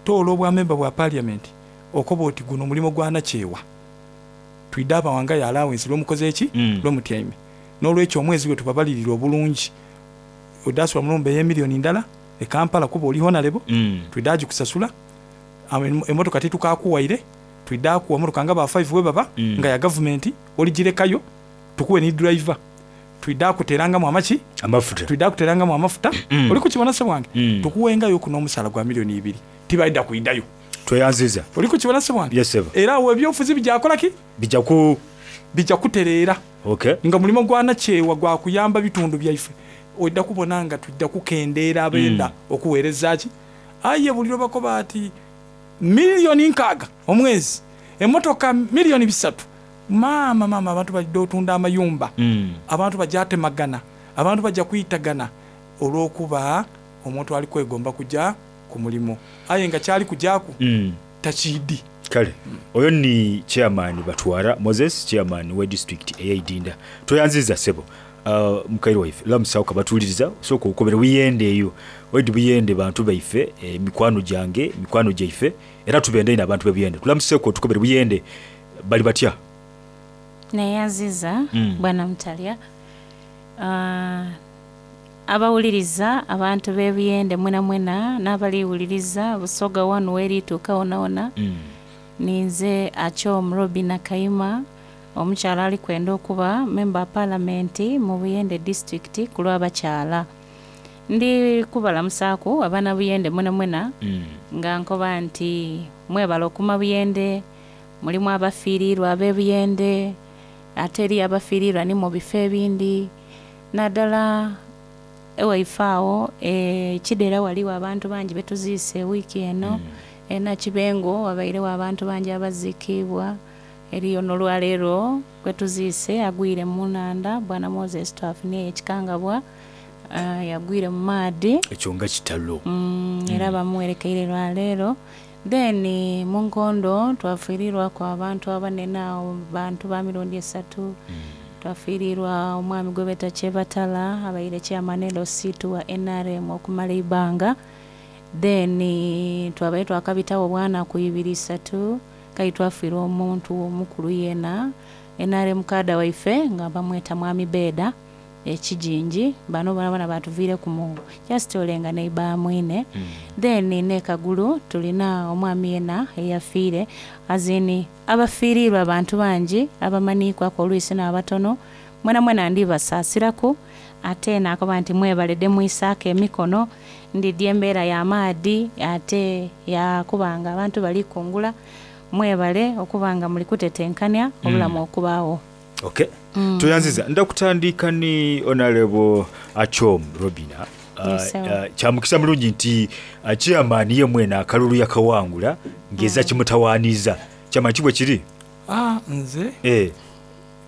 toola obwamemba bwa parliament okoba oti guno omulimu gwa nakyewa, twidde abawangayo allowance lwomukoze eki? Mm. Lwomutyaime. N'olwekyo omwezi gwe tubabalirira obulungi, odasula mulumba ey'emiliyoni ndala e Kampala kuba oli honorable, Mm. twidde agikusasula. Amo- emotoka titukakuwaire, twidde akuwa emotoka nga ba five we baba, Mm. nga ya gavumenti, oligirekayo tukuwe ni driver, twidde akuterangamu amaki, amafuta, twidde akuterangamu amafuta. Mm. Oli kukibona se bwange? Mm. Tukuwengayo ku n'omusaala gwa miliyoni ibiri, tibaidda kuidayo. Tweyanziza. Oli kukibona se bwange? Yes, sir. Era awo ebyobufuzi bijakola ki? Bijja ku bijja kutereera. Okay. Nga mulimo gwa nakyewa gwa kuyamba bitundu byaife, ojja kubona nga tujja kukendeera abenda Mm. okuweereza ki. Aye buli lwebakoba ati miliyoni nkaaga omwezi, emotoka miliyoni bisatu, maama maama, abantu bajja otunda amayumba, Mm. abantu bajja atemagana, abantu bajja kuyitagana olw'okuba omuntu ali kwegomba kujja ku mulimu, aye nga kyali kujaku Mm. takiidi. Kale oyo ni chairman Batwara Moses, chairman we district ey'Eidinda. Tweyanziza ssebo. Uh, mukaire waife lamusawo kabatuwuliriza, sooka okobere buyende eyo oidi buyende bantu baife, emikwano gyange, emikwano gyaife, era tubende ino abantu bebuyende. Tulamuseeko otukobere buyende bali batya? Neyanziza. Mm. Bwana Mutalya. Ah, abawuliriza abantu b'ebuyende mwena mwena n'abaliwuliriza Busoga wanu werituuka wonawona, Mm. ninze Achom Robina Kayima, omukyala ali kwenda okuba memba wa palamenti mu Buyende district ku lw'abakyala. Ndi kubalamusaaku abaana Buyende mwena mwena, Mm. nga nkoba nti mwebala okuma Buyende, mulimu abafiirirwa ab'ebuyende, ate eri abafiirirwa ni mu bifo ebindi, naddala ewaife awo e, Kidera waliwo abantu bangi betuziise wiiki eno, mm. e Nakibengo wabairewo abantu bangi abaziikibwa, eriyo n'olwaleero gwetuziise agwire mu nanda, bwana Moses twafunye ekikangabwa, uh, yagwire mu maadi. Ekyo nga kitalo. Mm, era bamuwerekeire lwaleero. Then mu nkondo twafiirirwako abantu abanene awo, bantu ba mirundi esatu. Twafiirirwa omwami gwe beeta Kyebatala, abaire chairman L C two wa N R M okumala eibanga. Then twabaire twakabitawo bwana ku ibiri isatu, kale twafiirwa omuntu omukulu yena N R M kada waife nga bamweta mwami Beda ekijinji, bano bona bona batuviireku mu just olenga neiba mwine. Then ne Kagulu tulina omwami yena eyafiire, azini abafiirirwa abantu bangi abamaniikwako oluisi n'abatono, Mwena mwena ndibasaasiraku ate nakoba nti mwebalede mwisaako emikono ndidya embeera y'amaadi ate yakubanga abantu bali kungula mwebale okubanga muli kutetenkanya obulamu okubaawo. Okay. Mm. Toyanziza ndakutandika ni Honorable Achom Robina. Yes, sir. Uh, uh, kyamukisa mulungi nti uh, chairman ye mwene akalulu yakawangula ngeza kimutawaniza chairman kibwe kiri Ah, nze eh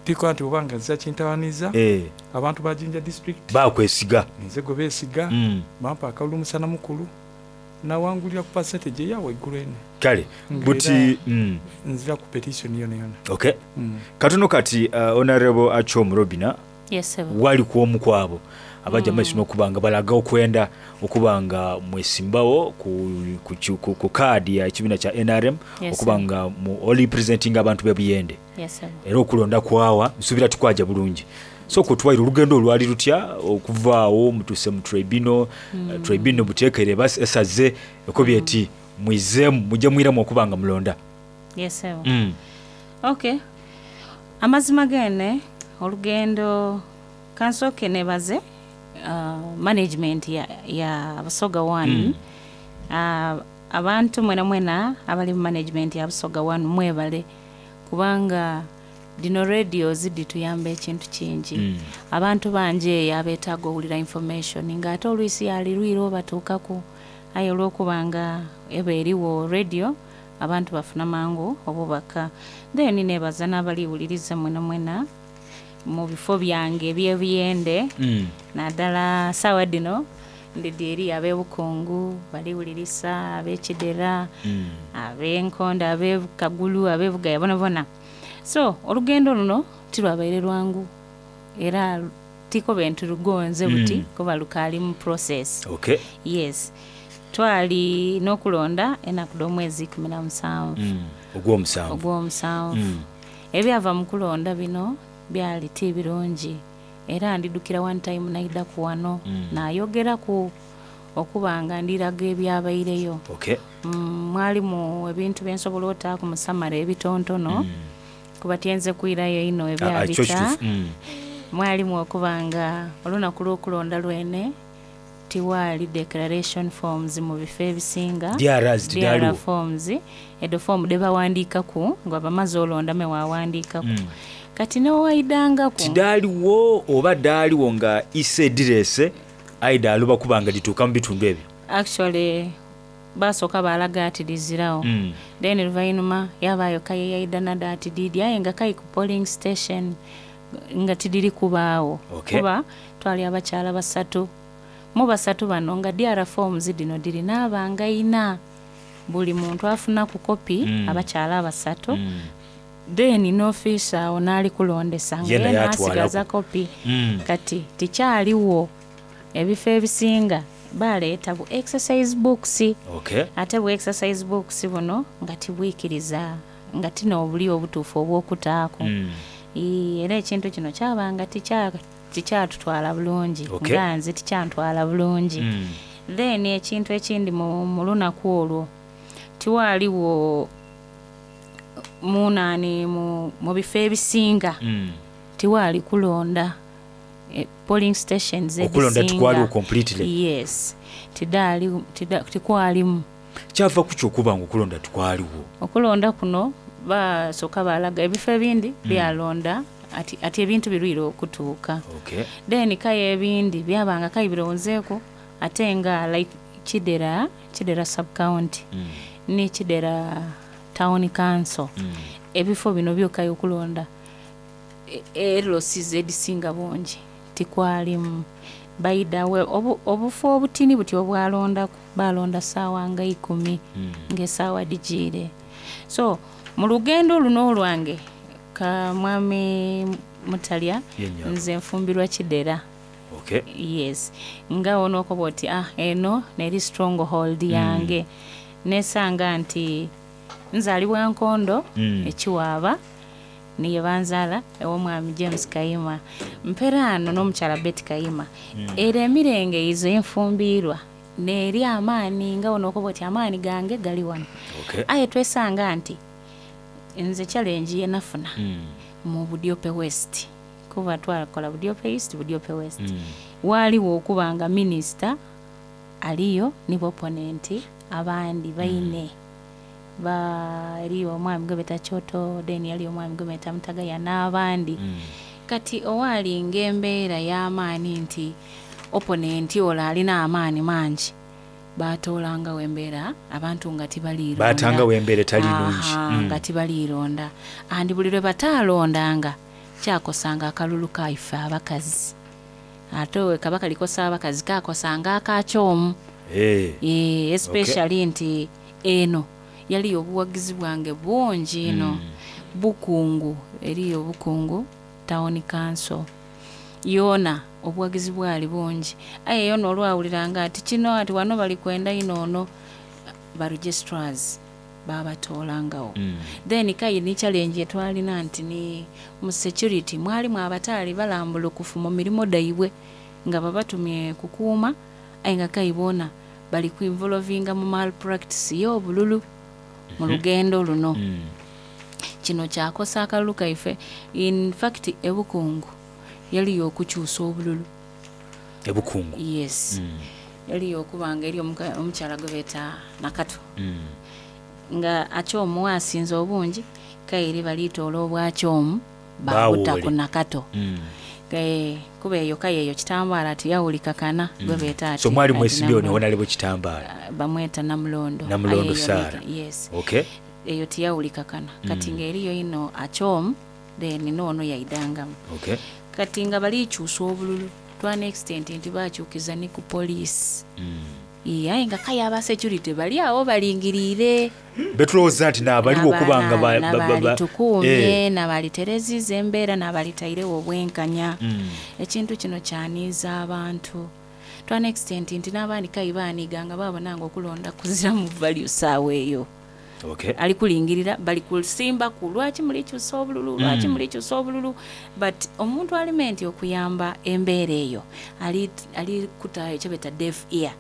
tikola nti obanga nziza kintawaniza eh abantu ba Jinja district bakwesiga nze gwe beesiga Mm. bampa akalulu musana mukulu nawangulira ku percentage eya waggulu eno kale Nga buti era mm. nzira ku petition yona yona okay Mm. katono kati uh, Honorable Achom Robina Yes, sir. wali ku omu kwabo abajja mm. maiso n'okuba nga balaga okwenda okuba nga mwesimbawo ku, ku, ku, ku, ku kaadi ya ekibiina kya N R M Yes, okuba sir. nga mu oli presenting abantu b'ebuyende Yes, sir. era okulonda kwawa nsuubira tukwaja bulungi so kutwaire olugendo olwali lutya okuvaawo mutuse mu tribunal mm. tribunal buteekere esaze ekobye eti mwizeemu mujje mwiramu okuba nga mulonda Yes, sir. mm. Okay. Amazima gene olugendo kansooke nebaze uh, management ya, ya Busoga One Mm. uh, abantu mwena mwena abali mu management ya Busoga One mwebale kubanga dino radio zidituyamba ekintu kingi Mm. abantu bangi eyo abeetaaga owulira information ng'ate olwisi yalirwire obatuukaku aye olw'okuba nga eba eriwo radio abantu bafuna mangu obubaka then nebaza n'abaliwuliriza mwena mwena mu bifo byange ebyebiyende Mm. naddala saawa dino ndidi eri ab'ebukungu baliwulirisa ab'ekidera Mm. ab'enkondo ab'ekagulu ab'ebugaya bona bona so olugendo luno tilwabaire lwangu era tikobe nti lugonze buti Mm. kuba lukaali mu process okay yes twali n'okulonda enaku dh'omwezi ikumi na musanvu mm. ogw'omusanvu ogw'omusanvu Mm. ebyava mu kulonda bino byali ti birungi era ndidukira one time naidaku wano Mm. nayogeraku okuba nga ndiraga ebyabaireyo okay Mm, mwalimu ebintu byensobola otaaku mu samara ebitontono kuba tyenze kwirayo ino Ah, ah, kyo ebyabita kituufu. Mm. mwalimu okuba nga olunaku lw'okulonda lwene tiwaali declaration forms mu bifo ebisinga D Rs tidaaliwo. D R forms edo fomu debawandiikaku nga bamaze olonda me wawandiikaku Mm. kati newaidangaku tidaaliwo oba daaliwo nga ise edirese aida aluba kuba nga lituuka mu bitundu ebyo actually basooka balaga ati lizirawo Mm. then luvainuma yabayo kaye yaida nada ati didi aye nga kai ku polling station nga tidiri kubaawo Okay. kuba twali abakyala basatu mu basatu bano nga D R forms dino diri n'abanga ina buli muntu afuna ku kopi Mm. abakyala abasatu then n'ofiisa awo n'ali kulondesa nga Ye naye ye atwalako. n'asigaza kopi Mm. kati tikyaliwo ebifo ebisinga baleeta bu exercise books okay ate bu exercise books buno nga tibwikiriza nga tina obuli obutuufu obw'okutaako Mm. Ii, era ekintu kino kyabanga tikya- tikyatutwala bulungi Okay. nga nze tikyantwala bulungi Mm. then ekintu ekindi mu, mu lunaku olwo tiwaaliwo munaani mu, mu bifo ebisinga Mm. tiwaali kulonda e, polling stations Okulonda ezisinga. tikwaliwo completely. yes tidaali tida, tikwalimu kyava ku kyokuba nga okulonda tikwaliwo okulonda kuno basooka balaga ebifo ebindi Mm. byalonda ati, ati ebintu birwire okutuuka okay then kaye ebindi byabanga kaye bironzeeku ate nga like kidera kidera sub county Mm. ne kidera town council Mm. ebifo bino byokaye okulonda erosis edisinga bungi tikwalimu baidawe obu, obufo obutini buti obwalondaku balonda saawa nga ikumi Mm. ng'esaawa digiire so mu lugendo luno olwange ka mwami mutalya Ye nnyabo. nze nfumbirwa kidera okay yes nga onookoba oti ah eno neri stronghold Mm. yange nesanga nti nzaalibwa nkondo Mm. ekiwaaba niye banzaala ew'omwami James Kayima mperaano n'omukyala Betty Kayima Mm. era emirenge ezo enfumbiirwa neeri amaanyi nga onookoba oti amaanyi gange gali wano okay aye twesanga nti nze challenge yenafuna Mm. mu Budiope West Kuba twakola Budiope East, Budiope West. Waaliwo okuba nga minisita aliyo ni opponent abandi baine ba eriyo omwami gwe beta Kyoto, then yaliyo omwami gwe beta Mutagaya n'abandi. Kati owalinga embeera y'amaani nti opponent ola alina amaani mangi, batoolangawo embeera abantu nga tibaliironda. Batangawo embeera etali nnungi. Aha, Mm. nga tibaliironda, andi buli lwe bataalondanga kyakosanga akalulu kaife abakazi, ate we kaba kalikosa abakazi kakosanga akakyomu. Eh. Eh, especially nti eno yaliyo obuwagizi bwange bungi ino. Bukungu, eriyo Bukungu Town Council yoona obuwagizi bwali bungi, aye yona olwawuliranga ati kino ati wano bali kwenda ino ono ba registrars babatoolangawo. Then kayi ni challenge etwalina nti ni mu security mwalimu abataali balambulukufu mu mirimu daibwe nga babatumye kukuuma, aye nga kayi boona bali kuinvolvinga mu malpractice y'obululu mu Mhm. lugendo luno. Kino kyakosa akalulu kaife. In fact ebukungu yaliyo okukyusa obululu. Ebukungu? Yes. Mm. Yaliyo okubanga eri omuka- omukyala gwe beeta Nakato Mm. nga akyomu asinze obungi, kairi balitoola obwakyomu babuta Baawole. ku Nakato. Mm. Eh, kuba eyo kaye eyo Kitambaala tiyawulika kana gwe beeta ati So mwali ati mwesimbyewo Namulondo. newonalebo Kitambaala? Bamweta Namulondo. Namulondo Aye eyo Sarah. neka- yes. Okay. Eyo tiyawulika kana. Kati Mm. ng'eriyo ino akyomu, then noono yaidangamu. Okay. Kati nga balikyusa obululu twana extent nti bakyukiza ne ku poliisi. Iye, aye nga kaye aba security bali awo balingiriire. Betulowooza nti naabaliwo okuba nga ba- ba- ba- ba- nabalitukuumye, Eh. nabalitereziza embeera, nabalitairewo obwenkanya. Mm. Ekintu kino kyaniiza abantu twana extent nti n'abandi kayi baaniga nga babona nga okulonda kuziramu value saawa eyo. Okay. Ali kulingirira bali kusimbaku lwaki mulikyusa obululu, lwaki Mm. mulikyusa obululu, but omuntu alime nti okuyamba embeera eyo ali ali kutayo kyebeta deaf ear,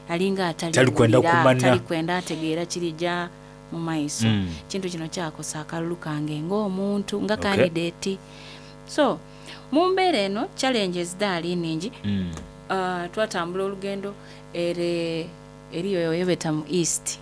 alinga atali Tali kwenda wulira, kumanya. tali kwenda ategeera kirijja mu maiso. Mm. Kintu kino kyakosa akalulu kange ng'omuntu nga Okay. candidate. So mu mbeera eno challenges daali ningi. Mm. Uh, twatambula olugendo ere eriyo yebeta mu East.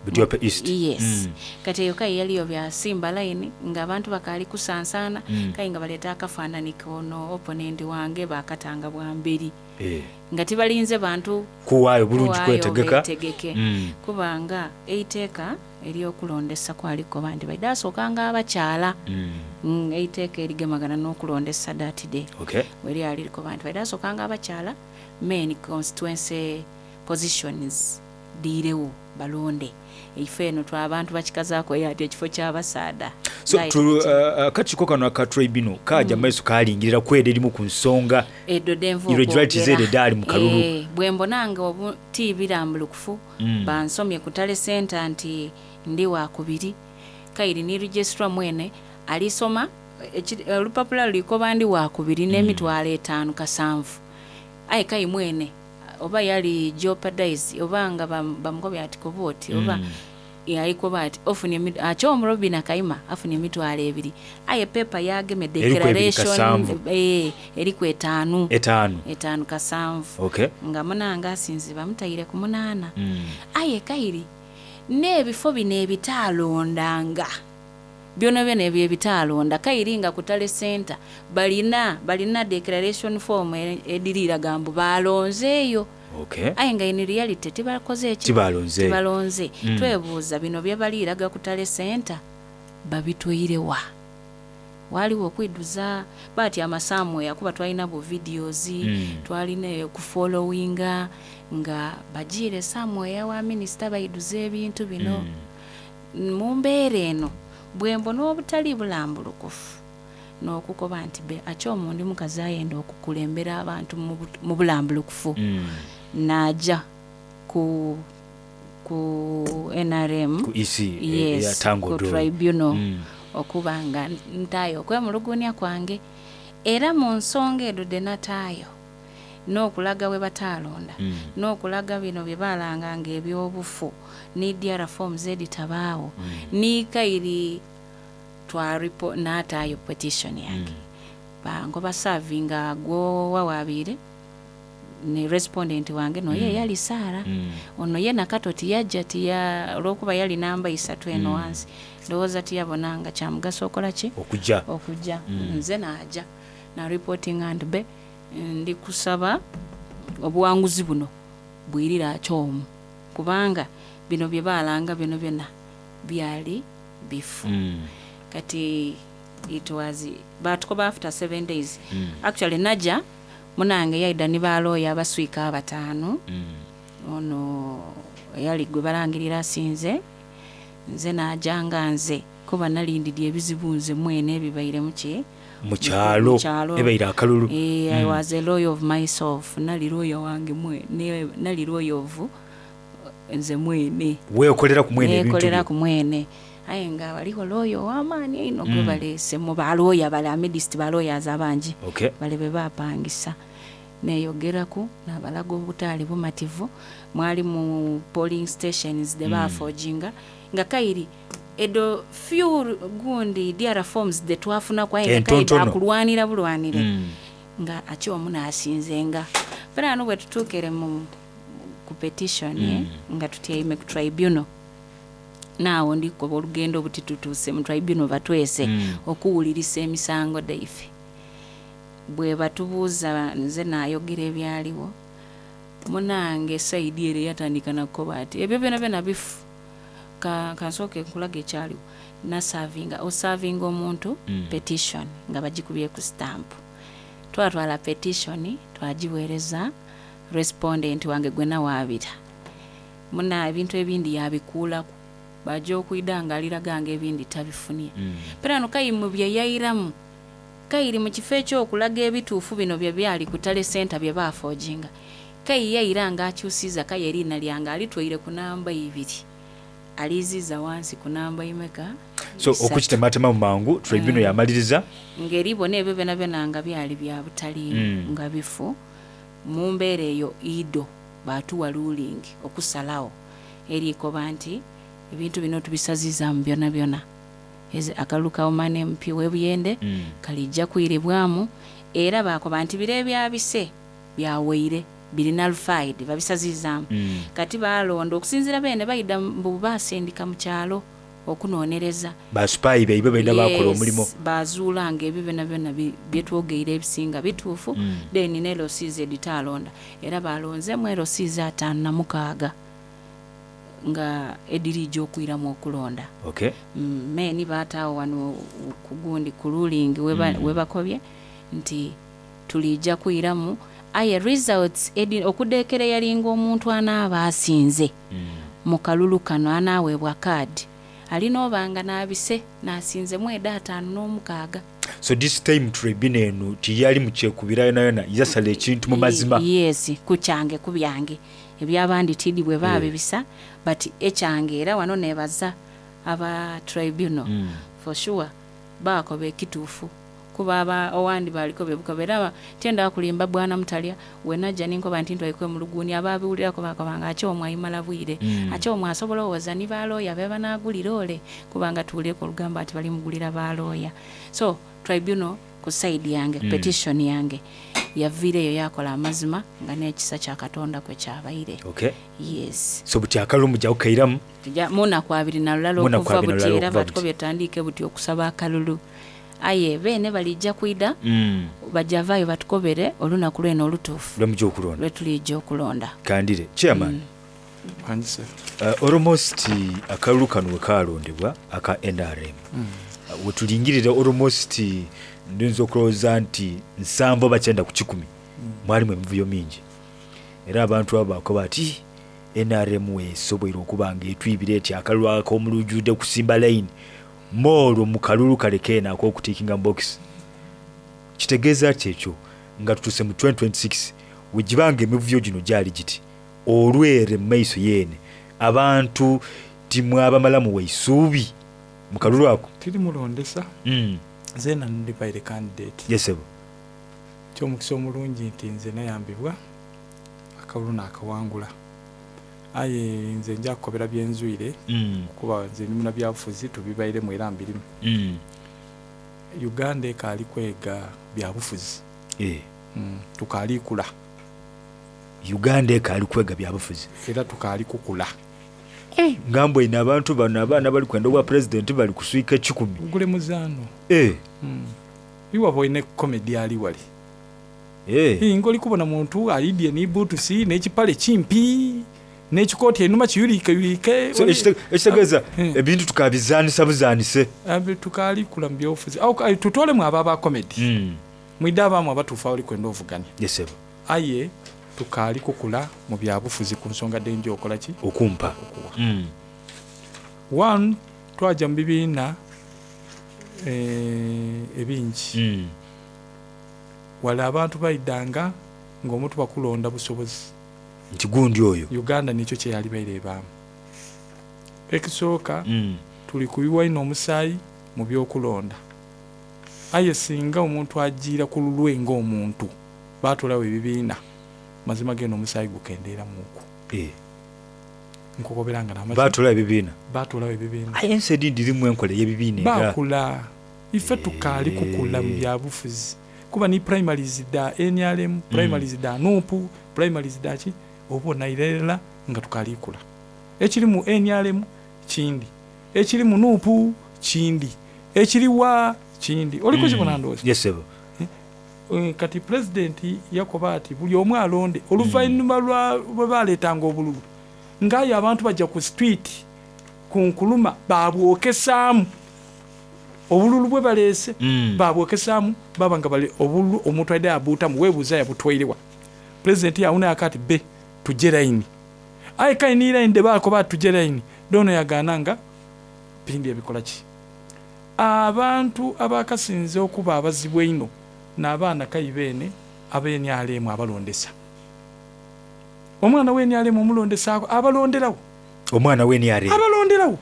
Budiope East? Yes. Mm. Kati eyo kayi yaliyo byasimba line ng'abantu bakaali kusansaana. Mm. Kayi nga baleeta akafaanani kono opponent wange bakatanga bwamberi Eh. nga tibalinze bantu Kuwaayo bulungi kuwaayo kwetegeka. beetegeke. Mm. Kubanga eiteeka ery'okulondesa kwaliko bandi baide asookanga abakyala. Mm. Mm, eiteeka erigemagana n'okulondesa that day Okay. weryali likoba nti baide asookanga abakyala main constituency positions diirewo balonde ife eno twabantu bakikazaako eyo ati ekifo ky'abasaada. So Right. tu- uh, akakiiko kano aka tribunal kaja Mm. maiso kalingirira kweda erimu ku nsonga Eddo denva irregularities okwogera. ezo edaali mu kalulu. Eh, bwe mbonanga obu tibirambulukufu. Mm. Bansomye ku tale center nti ndi wakubiri, kairi ni registra mwene alisoma eki- olupapula lulikoba ndi wakubiri n'emitwalo etaano kasanvu, aye kayi mwene oba yali jeopardize oba nga bam- bamukobya ati koba oti oba Mm. yalikoba ati ofunye emi- akyomu Robina Kaima afunye emitwalo ebiri, aye pepa yageme Eriku ebiri declaration kasanvu. eh, eriku etaano. Etaano. Etaano kasanvu. Okay. Nga munanga asinze bamutayire ku munaana. Mm. Aye kairi n'ebifo bino ebitaalondanga byona byona ebyo ebitaalonda kairi nga ku tale center balina balina declaration form e- ediriraga mbu balonzeeyo. Okay. Aye nga in reality tibakoze eki? Tibalonzeeyo. Tibalonze. Mm. Twebuuza bino bye baliiraga ku tale center babitweirewa? Waliwo okwiduza baati amasaamu kuba twalina bu videos. Mm. Twalina okufollowinga nga bagiire somewhere wa minisita baiduza ebintu bino. Mm. Mu mbeera eno bwe mbona obutali bulambulukufu n'okukoba nti be akyomu ndi mukazi ayenda okukulembera abantu mu bu- mu bulambulukufu. Mm. N'ajja ku ku N R M. Ku E C, eh, Yes, eya Tango ku Dolo. tribunal. Mm. Okuba nga ntaayo okwemulugunya kwange era mu nsonga edo de nataayo n'okulaga we bataalonda. Mm. N'okulaga bino bye baalanganga ebyobufu ne D R forms editabaawo ni kairi twaripo n'ataayo petition yange. Bangoba savinga gwo wawabiire ne respondent wange noye Mm. yali Sara. Mm. Ono ye nakato tiyajja tiya olwokuba yali namba isatu eno Mm. wansi, ndowooza tiyabonanga kyamugaso okola ki Okujja. okujja. Mm. Nze naja na reporting and be ndi kusaba obuwanguzi buno bwirira akyomu, kubanga bino bye baalanga bino byonna byali bifu. Mm. Kati it was batukoba after seven days. Mm. Actually naja munange yaida ni balooya abaswika abataano. Mm. Ono eyali gwe balangirira asinze, nze najanga nze kuba nalindidde ebizibu nze mwene ebibaire muki Mu kyalo, mu kyalo. ebaire akalulu. Eh, I Mm. was a lawyer of myself, nali lawyer wange mwene, nali lawyer of nze mwene. Weekolera ku mwene ebintu Neekolera byo. ku mwene, aye nga waliwo lawyer ow'amaanyi einho gwe Mm. baleese mu balooya bale amidist balawyers abangi Okay. bale be bapangisa. Neyogeraku nabalaga obutaali bumativu mwali mu polling stations de Mm. bafojinga nga kairi edo few gundi dr forms de twafunaku, aye nga kairi Entontono. akulwanira bulwanire Mm. nga aki omu nasinzenga fera bwe tutuukire mu ku petition Mm. eh, nga tutyaime ku tribunal, naawo ndikuba olugendo buti tutuuse mu tribunal batwese Mm. okuwulirisa emisango daife. Bwe batubuuza nze naayogera ebyaliwo, munange saidi ere yatandika nakukoba ati ebyo byona byona bifu. Ka- kansooke nkulaga ekyaliwo. Nasavinga osavinga omuntu Mm. petition nga bagikubye ku stamp, twatwala petition twagiweereza respondent wange gwe nawaabira. Muna ebintu ebindi yabikuulaku, bajja okwida nga aliraga nga ebindi tabifunye. Mm. Perano kayimu bye yayiramu kayiri mu kifo ekyokulaga ebituufu bino bye byali ku tale center bye baafojinga, kayi yayira nga akyusiza kayi eriina lyange alitwaire ku namba ibiri, aliziza wansi ku namba imeka. So Isatu. okukitematema mu mangu tribunal Mm. yamaliriza Ngeri bona ebyo byona byona nga byali bya butaliimu Mm. nga bifu. Mu mbeera eyo ido batuwa ruling okusalawo erikoba nti ebintu bino tubisazizaamu byona byona. Ezi- akalulu ka woman M P webuyende Mm. kalijja kwiribwamu, era bakoba nti biro ebyabise byaweire biri nullified, babisazizaamu. Mm. Kati balonda okusinziira bene bayida mbu basindika mu kyalo okunoonyereza. Basupayi baibwe balina bakola Yes, omulimu. bazuulanga ebyo byona byona bi- byetwogeire ebisinga bituufu. Mm. Then ne L Cs editaalonda era balonzemu L Cs ataano na mukaaga nga ediriija okwiramu okulonda. Okay. Mm, meeni baataawo wano ku gundi ku ruling weba- Mm. webakobye nti tulijja kwiramu, aye results edi- okudeekera yalinga omuntu anaaba asinze mu kalulu kano anaaweebwa kaadi alina obanga n'abise n'asinzemu eda ataano n'omukaaga. So this time tribunal eno tiyali mukyekubira yona yona, yasala ekintu mu mazima. Yes, ku kyange, ku byange, ebyabandi tidi bwe baabibisa, but ekyange era wano nebaza aba tribunal. Mm. For sure baakoba ekituufu, kuba aba owandi baliko bebukoba era aba- tyenda kulimba bwana mutalya wenajja ninkoba nti ntwaikwe muluguni ababiwulirako bakobanga ate omwe ayimala bwire. Mm. Ate omwe asobola owoza ni balooya be banaagulira ole, kubanga tuwulireko olugamba ati balimugulira balooya. So tribunal ku side yange, Mm. petition yange yaviireyo yakola amazima nga n'ekisa kya Katonda kwe kyabaire. Okay. Yes. So buti akalulu mujja kukairamu? Tujja- munaku abiri na lulala Munaku okuva abiri na buti lulala era okuva batukobye tutandike buti okusaba akalulu, aye beene balijja kwida Mm. bajja vaayo batukobere olunaku lwene olutuufu lwemujja okulonda. Lwe tulijja okulonda. Kandire chairman. Wangi. Uh, almost akalulu kano we kalondebwa aka N R M, Mm. uh, wetulingirira almost ndiyinza okulowooza nti nsanvu oba kyenda ku kikumi mwalimu emivuyo mingi, era abantu abo bakoba ati N R M esoboire okuba nga etwibira eti akalulu ak'omulujjudde kusimba layini moolwo mu kalulu kale keena ak'okutiikinga mu bokisi. Kitegeeza ki ekyo nga tutuuse mu twenty twenty-six wegibanga emivuyo gino gyali giti olwere mu maiso yeene abantu timwabamalamu waisuubi mu kalulu ako? Tiri mulondesa. Mm. Nze nandibaire candidate. Yesebo. Kyomukisa omulungi nti nze nayambibwa akalulu naakawangula, aye nze nja kukobera byenzwire Mm. kuba nze ndi munabyabufuzi, tubibairemu era mbirimu. Mm. Uganda ekaali kwega byabufuzi. Eh. Mm, tukaali kula. Uganda ekaali kwega byabufuzi. Era tukaali kukula. Nga mbwine abantu bano abaana bali kwenda obwa pulezidenti bali kuswika ekikumi. Gule muzaano. Eh. Mm. Iwe boine comedy ali wali. Eh. Ii, ng'oli kubona muntu alidye ni butusi n'ekipale kimpi n'ekikooti enuma kiyuliike yulike. So ekite- ekitegeeza ebintu tukabizanisa buzanise. Abi- tukaali kula mu byobufuzi. Awo, ayi, tutolemu abo aba comedy. Mm. Mwidde abaamu abatuufu abali kwenda ovuganya. Yes, sir. Aye tukaali kukula mu byabufuzi ku nsonga denja okola ki? Okumpa. Mm. One, twajja mu bibiina eh, ebingi. Mm. Wala abantu baidanga ng'omuntu bakulonda busobozi. Nti gundi oyo. Uganda nikyo kye yali baire ebaamu. Ekisooka Mm. tuli kuyiwa ino omusaayi mu byokulonda. Aye singa omuntu ajiira ku lulwe ng'omuntu baatolawo ebibiina mazima geno omusaayi gukendeeramuuku. Eh. Nkukobera nga n'amazima- Baatolawo ebibiina. Baatolawo ebibiina. Aye ensi edindi erimu enkola ey'ebibiina era. Baakula ife tukaali kukula mu byabufuzi kuba ni primaries da N R M, primaries da N U P, primaries da ki oba onairera nga tukaali kula. Ekiri mu N R M kindi, ekiri mu N U P kindi, ekiri wa kindi. Oli kukibona ndowooza? Yes, sir. Eh, kati pulezidenti yakoba ati buli omu alonde oluvannyuma lwa bwe baleetanga obululu ng'ayo abantu bajja ku street ku nkuluma babwokesaamu obululu bwe baleese Mm. babwokesaamu baba nga bali obululu omuntu aidde abuutamu weebuuza yabutwairewa. Pulezidenti yawuna akati be tujje layini aye kale ni layini debaako ati tujje layini doono yagaana nga pindi ebikola ki. Abantu abakasinze okuba abazibu einho n'abaana kayi beene aba N R M abalondesa. Omwana wa N R M omulondesaako abalonderawo. Omwana wa N R M. Abalonderawo.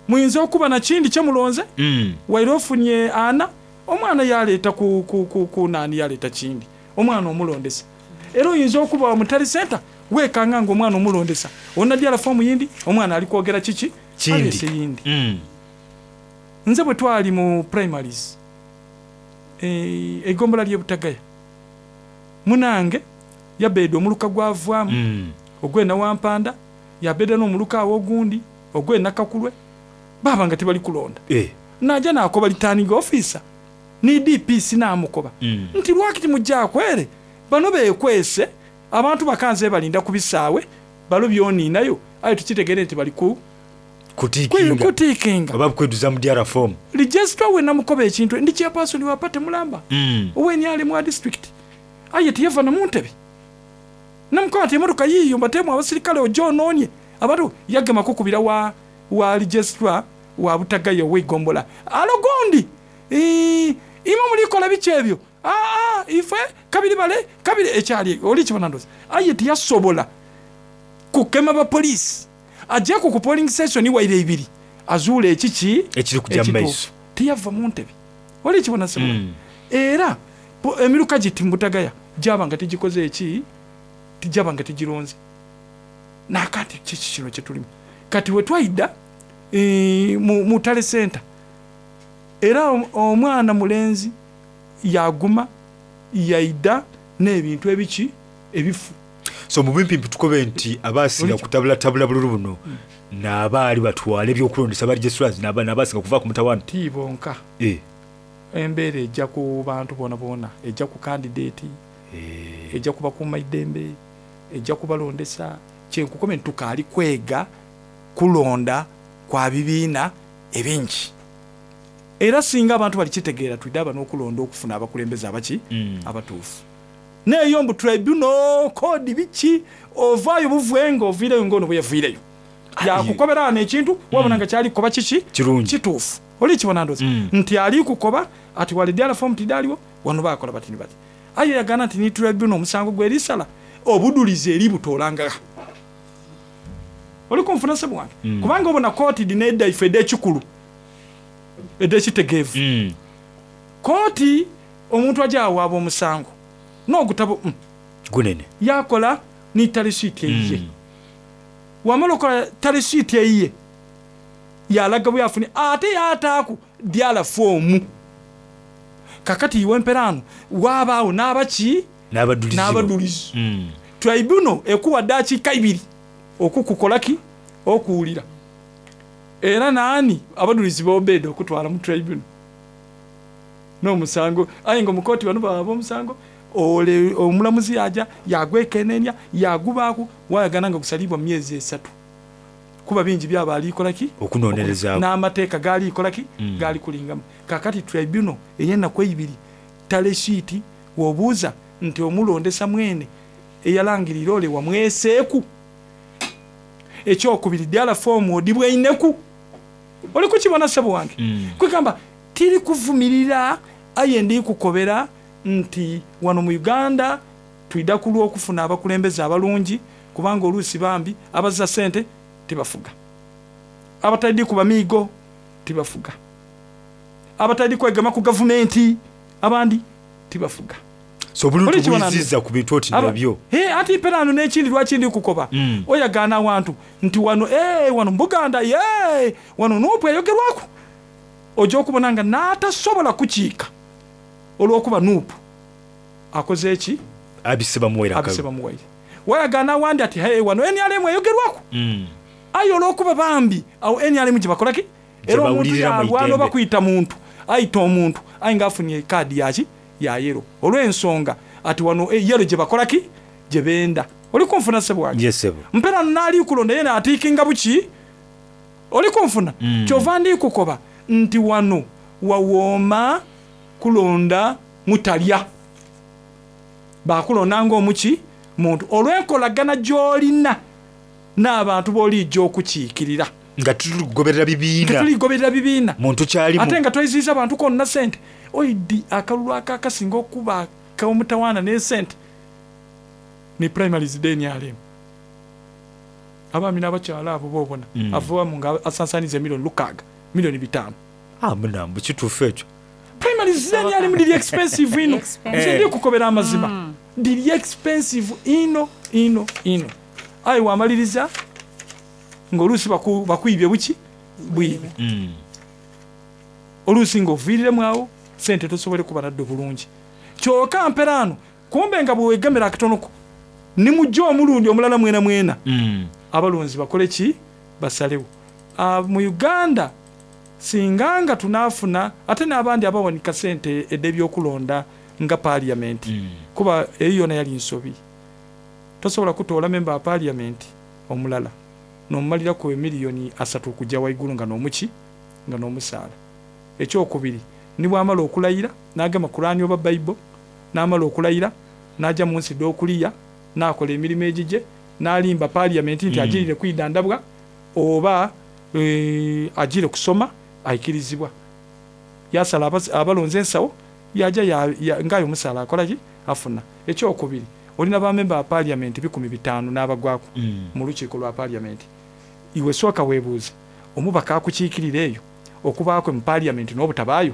Muyinza okuba na kindi kye mulonze Mm. waire ofunye ana omwana yaleeta ku, ku, ku, ku naani yaleeta kindi omwana omulondesa. Era oyinza okuba mutali center weekanga nga omwana omulondesa onadyala foomu yindi omwana ali kwogera kiki Kindi. aleese yindi. Mm. Nze bwe twali mu primaries eh, egombola ly'e Butagaya munange yabeeda omuluka gwavaamu Mm. ogwena Wampanda yabeeda n'omuluka awo ogundi ogwena Kakulwe baaba nga tebali kulonda. Eh. Najja n'akoba returning officer ni D P C n'amukoba Mm. nti lwaki timujja akwere bano beekwese abantu bakanze balinda ku bisaawe balo byoniinayo aye tukitegere nti bali ku Kutiikinga. kutiikinga. Oba kweduza mu D R form. Registrar we namukoba ekintu ndi chairperson wa party mulamba Mm. owe N R M wa district aye tiyava na mu ntebe namukoba nti emotoka yiiyo mbateemu abasirikale ojja onoonye abantu yagema kukubira wa, wa registrar wa Butagaya ow'eggombola alo gundi imwe mulikola biki ebyo aa ife kabiri bale kabiri ekyali oli kibona ndowooza aye tiyasobola kukema bapoliisi ajjeku ku polling station waire ibiri azuula ekiki Ekiri kujja mu maiso. tiyava mu ntebe oli kibona sebo Mm. era po- emiruka giti mu Butagaya gyaba nga tigikoze eki tijaba nga tigironze nakati kiki kino kyetulimu kati we twayidda eh, mu, mu tale center era om- omwana mulenzi yaguma yaida n'ebintu ebiki ebifu. So mu bimpimpi tukobe nti abasinga kutabulatabula bululu buno n'abaali batwala ebyokulondesa ba registrars n'aba- n'abasinga kuva ku mutawaana. Ti bonka. Eh. Embeera ejja ku bantu boona boona ejja ku candidate ejja kubakuuma eddembe ejja kubalondesa kyenkukome nti tukaali kwega kulonda kwa bibiina ebingi. Era singa abantu balikitegeera twidde aba n'okulonda okufuna abakulembeze abaki Mm. abatuufu. Neeyo mbu tribunal code biki ovaayo buvwenga oviireyo ng'ono bwe yaviireyo yakukobera wano ekintu wabona nga kyali kukoba kiki Kirungi. kituufu oli kibona ndowooza nti ali kukoba ati wale form tidaliwo wano bakola bati ni bati aye yagana nti ni tribunal omusango gwerisala obudulizi eri butoolanga oli kunfuna sebo wange Mm. kubanga obona kooti dina edda ife ed'ekikulu ed'ekitegeevu Mm. kooti omuntu ajja awaaba omusango n'ogutabo mm, Gunene. yakola ni talisiiti eyiye wamala okola talisiiti eyiye yalaga bwe yafunye ate yataaku dyala foomu Kakati iwe mperano wabaawo n'abaki n'abadulizi n'abadulizi Mm. tribunal ekuwa dakiika ibiri okukukolaki okuwulira. Era naani abadulizi bobeda okutwala mu tribunal n'omusango, aye nga omukooti bano baba omusango ole omulamuzi yaja yagwekenenya yagubaaku wayagana nga gusalibwa mu myezi esatu, kuba bingi byaba alikolaki okunonerezaako n'amateeka gaali kolaki Mm. gaali kulingamu. Kakati tribunal ey'ennaku eibiri taleshiiti wobuuza nti omulondesa mwene eyalangirira ole wamweseeku. Ekyokubiri, ddala foomu odibweineku oli kukibona ssebo wange? Mm. Kwegamba tiri kuvumirira, aye ndi kukobera nti wano mu Uganda twida ku lw'okufuna abakulembeze abalungi, kubanga oluusi bambi abazza sente tibafuga, abatali kuba miigo tibafuga, abatali kwegema ku gavumenti abandi tibafuga. So obululu Oli kibona tubuyizizza ku bintu oti Aba- nabyo. He, ati perano n'ekindi lwaki ndi kukoba Mm. oyagaana awantu nti wano eh, wano mubuganda ye wano nuupu eyogerwaku, ojja okubona nga n'atasobola kukiika olw'okuba nuupu akoze eki abise bamuwaire abise akalu bamuwaire. Wayagaana awandi ati hey, wano N R M eyogerwaku, Mm. aye olw'okuba bambi awo N R M gyebakolaki era omuntu Gyebawulirira mu yalwana idembe. oba kuyita muntu ayita omuntu aye nga afunye ekaadi yaki ya yero olw'ensonga ati wano eh, yero gyebakolaki gyebenda. Oli kunfuna sebo wange? Yes, sebo. Mpera naali kulonda yena atiikinga buki oli kunfuna? Mm. Kyova ndi kukoba nti wano wawooma kulonda mutalya bakulonda ng'omuki muntu olw'enkolagana gy'olina n'abantu b'olijja okukiikirira. Nga tuligoberera bibiina. Tetuligoberera bibiina. Muntu kyalimu. Ate nga tweziiza abantu konna sente oidi akalulu akakasinga okuba akomutawaana n'esente ne primaries D N R M, abaami n'abakyala abo boobona Mm. avawamu nga asansaniza emiliyoni lukaaga, miliyoni bitaano. Ah, munambu kituufu ekyo. Primaries D N R M diri expensive ino. Nze ndi kukobera amazima, diri expensive ino ino ino, aye wamaliriza ng'oluusi baku- bakwibye buki bwibe. Mm. Oluusi ng'oviiriremu awo sente tosobole kuba nadde bulungi, kyokka mperaano kumbe nga bwewegemera akatonoko nimujja omulundi omulala mwena mwena Mm. abalonzi bakole ki basalewo. Ah, mu Uganda singa nga tunaafuna ate n'abandi abawanika sente ed'ebyokulonda nga paaliyamenti, kuba eyo yona yali nsobi. Tosobola kutoola memba wa paaliyamenti omulala n'omumaliraku emiliyoni asatu okujja waigulu nga n'omuki nga n'omusaala. Ekyokubiri, ni bwamala okulayira n'agema kulaani oba bayibo n'amala okulayira n'ajja mu nsi d'okuliya n'akola emirimu egigye n'alimba paaliyamenti nti Mm. agirire kwidandabwa oba eh, agire kusoma ayikirizibwa yasala abas- abalonzi ensawo yaja ya- ya- ngayo omusaala akolaki afuna. Ekyokubiri, olina bamemba ba paaliyamenti bikumi bitaano n'abagwako Mm. mu lukiiko lwa paaliyamenti. Iwe sooka weebuuze omubaka akukiikirira eyo okubaakwe mu paaliyamenti n'obutabaayo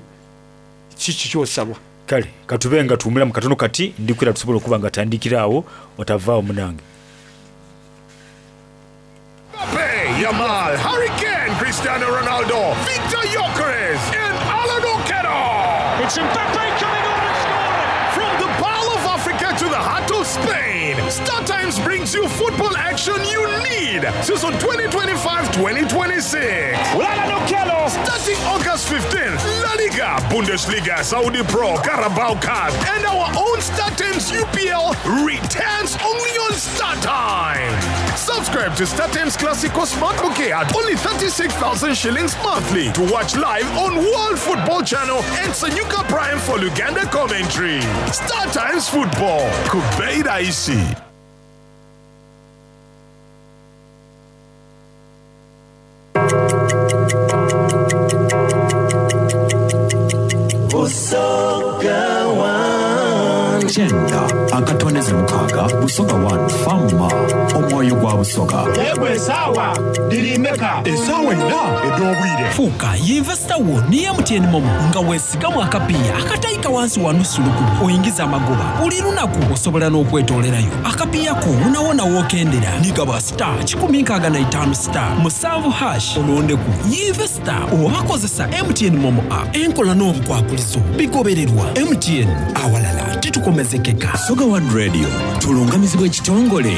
kiki kyosalwa? Kale katube nga tuwumula mu katono kati ndikwira tusobola okuba nga tandikira awo otavaawo munange. Mbappe, Yamal, Harry Kane, Cristiano Ronaldo, Victor Gyökeres, and Alan Okello. It's Mbappe coming on and scoring. From the Pearl of Africa to the heart of Spain, Star Times brings you football action you need. Season twenty twenty-five twenty twenty-six. Starting August fifteenth, La Liga, Bundesliga, Saudi Pro, Carabao Cup, and our own Star Times U P L returns only on Star Times. Subscribe to Star Times Classico Smart Bouquet at only thirty-six thousand shillings monthly to watch live on World Football Channel and Sanyuka Prime for Luganda commentary. Star Times Football. Kubeida Isi. Busoga One. Kyenda akatondeze mukaaga. Busoga One Fama omwoyo gwa Busoga. Yegwe esaawa dirimeka Esaawa ina ed'obwire. Fuuka yinvesita wo ni M T N MoMo nga weesigamu akapiiya akatayika wansi wa nusu lukumi, oyingiza amagoba buli lunaku. Osobola n'okwetoolerayo akapiiya ko wonawona wookendera. Nigaba star kikumi nkaaga na itaano star musanvu hash, olondeku yinvesita oba kozesa M T N MoMo app. Enkola n'obukwakulizo bigobererwa. M T N, awalala titukomezekeka. Busoga One Radio tulungamizibwa ekitongole.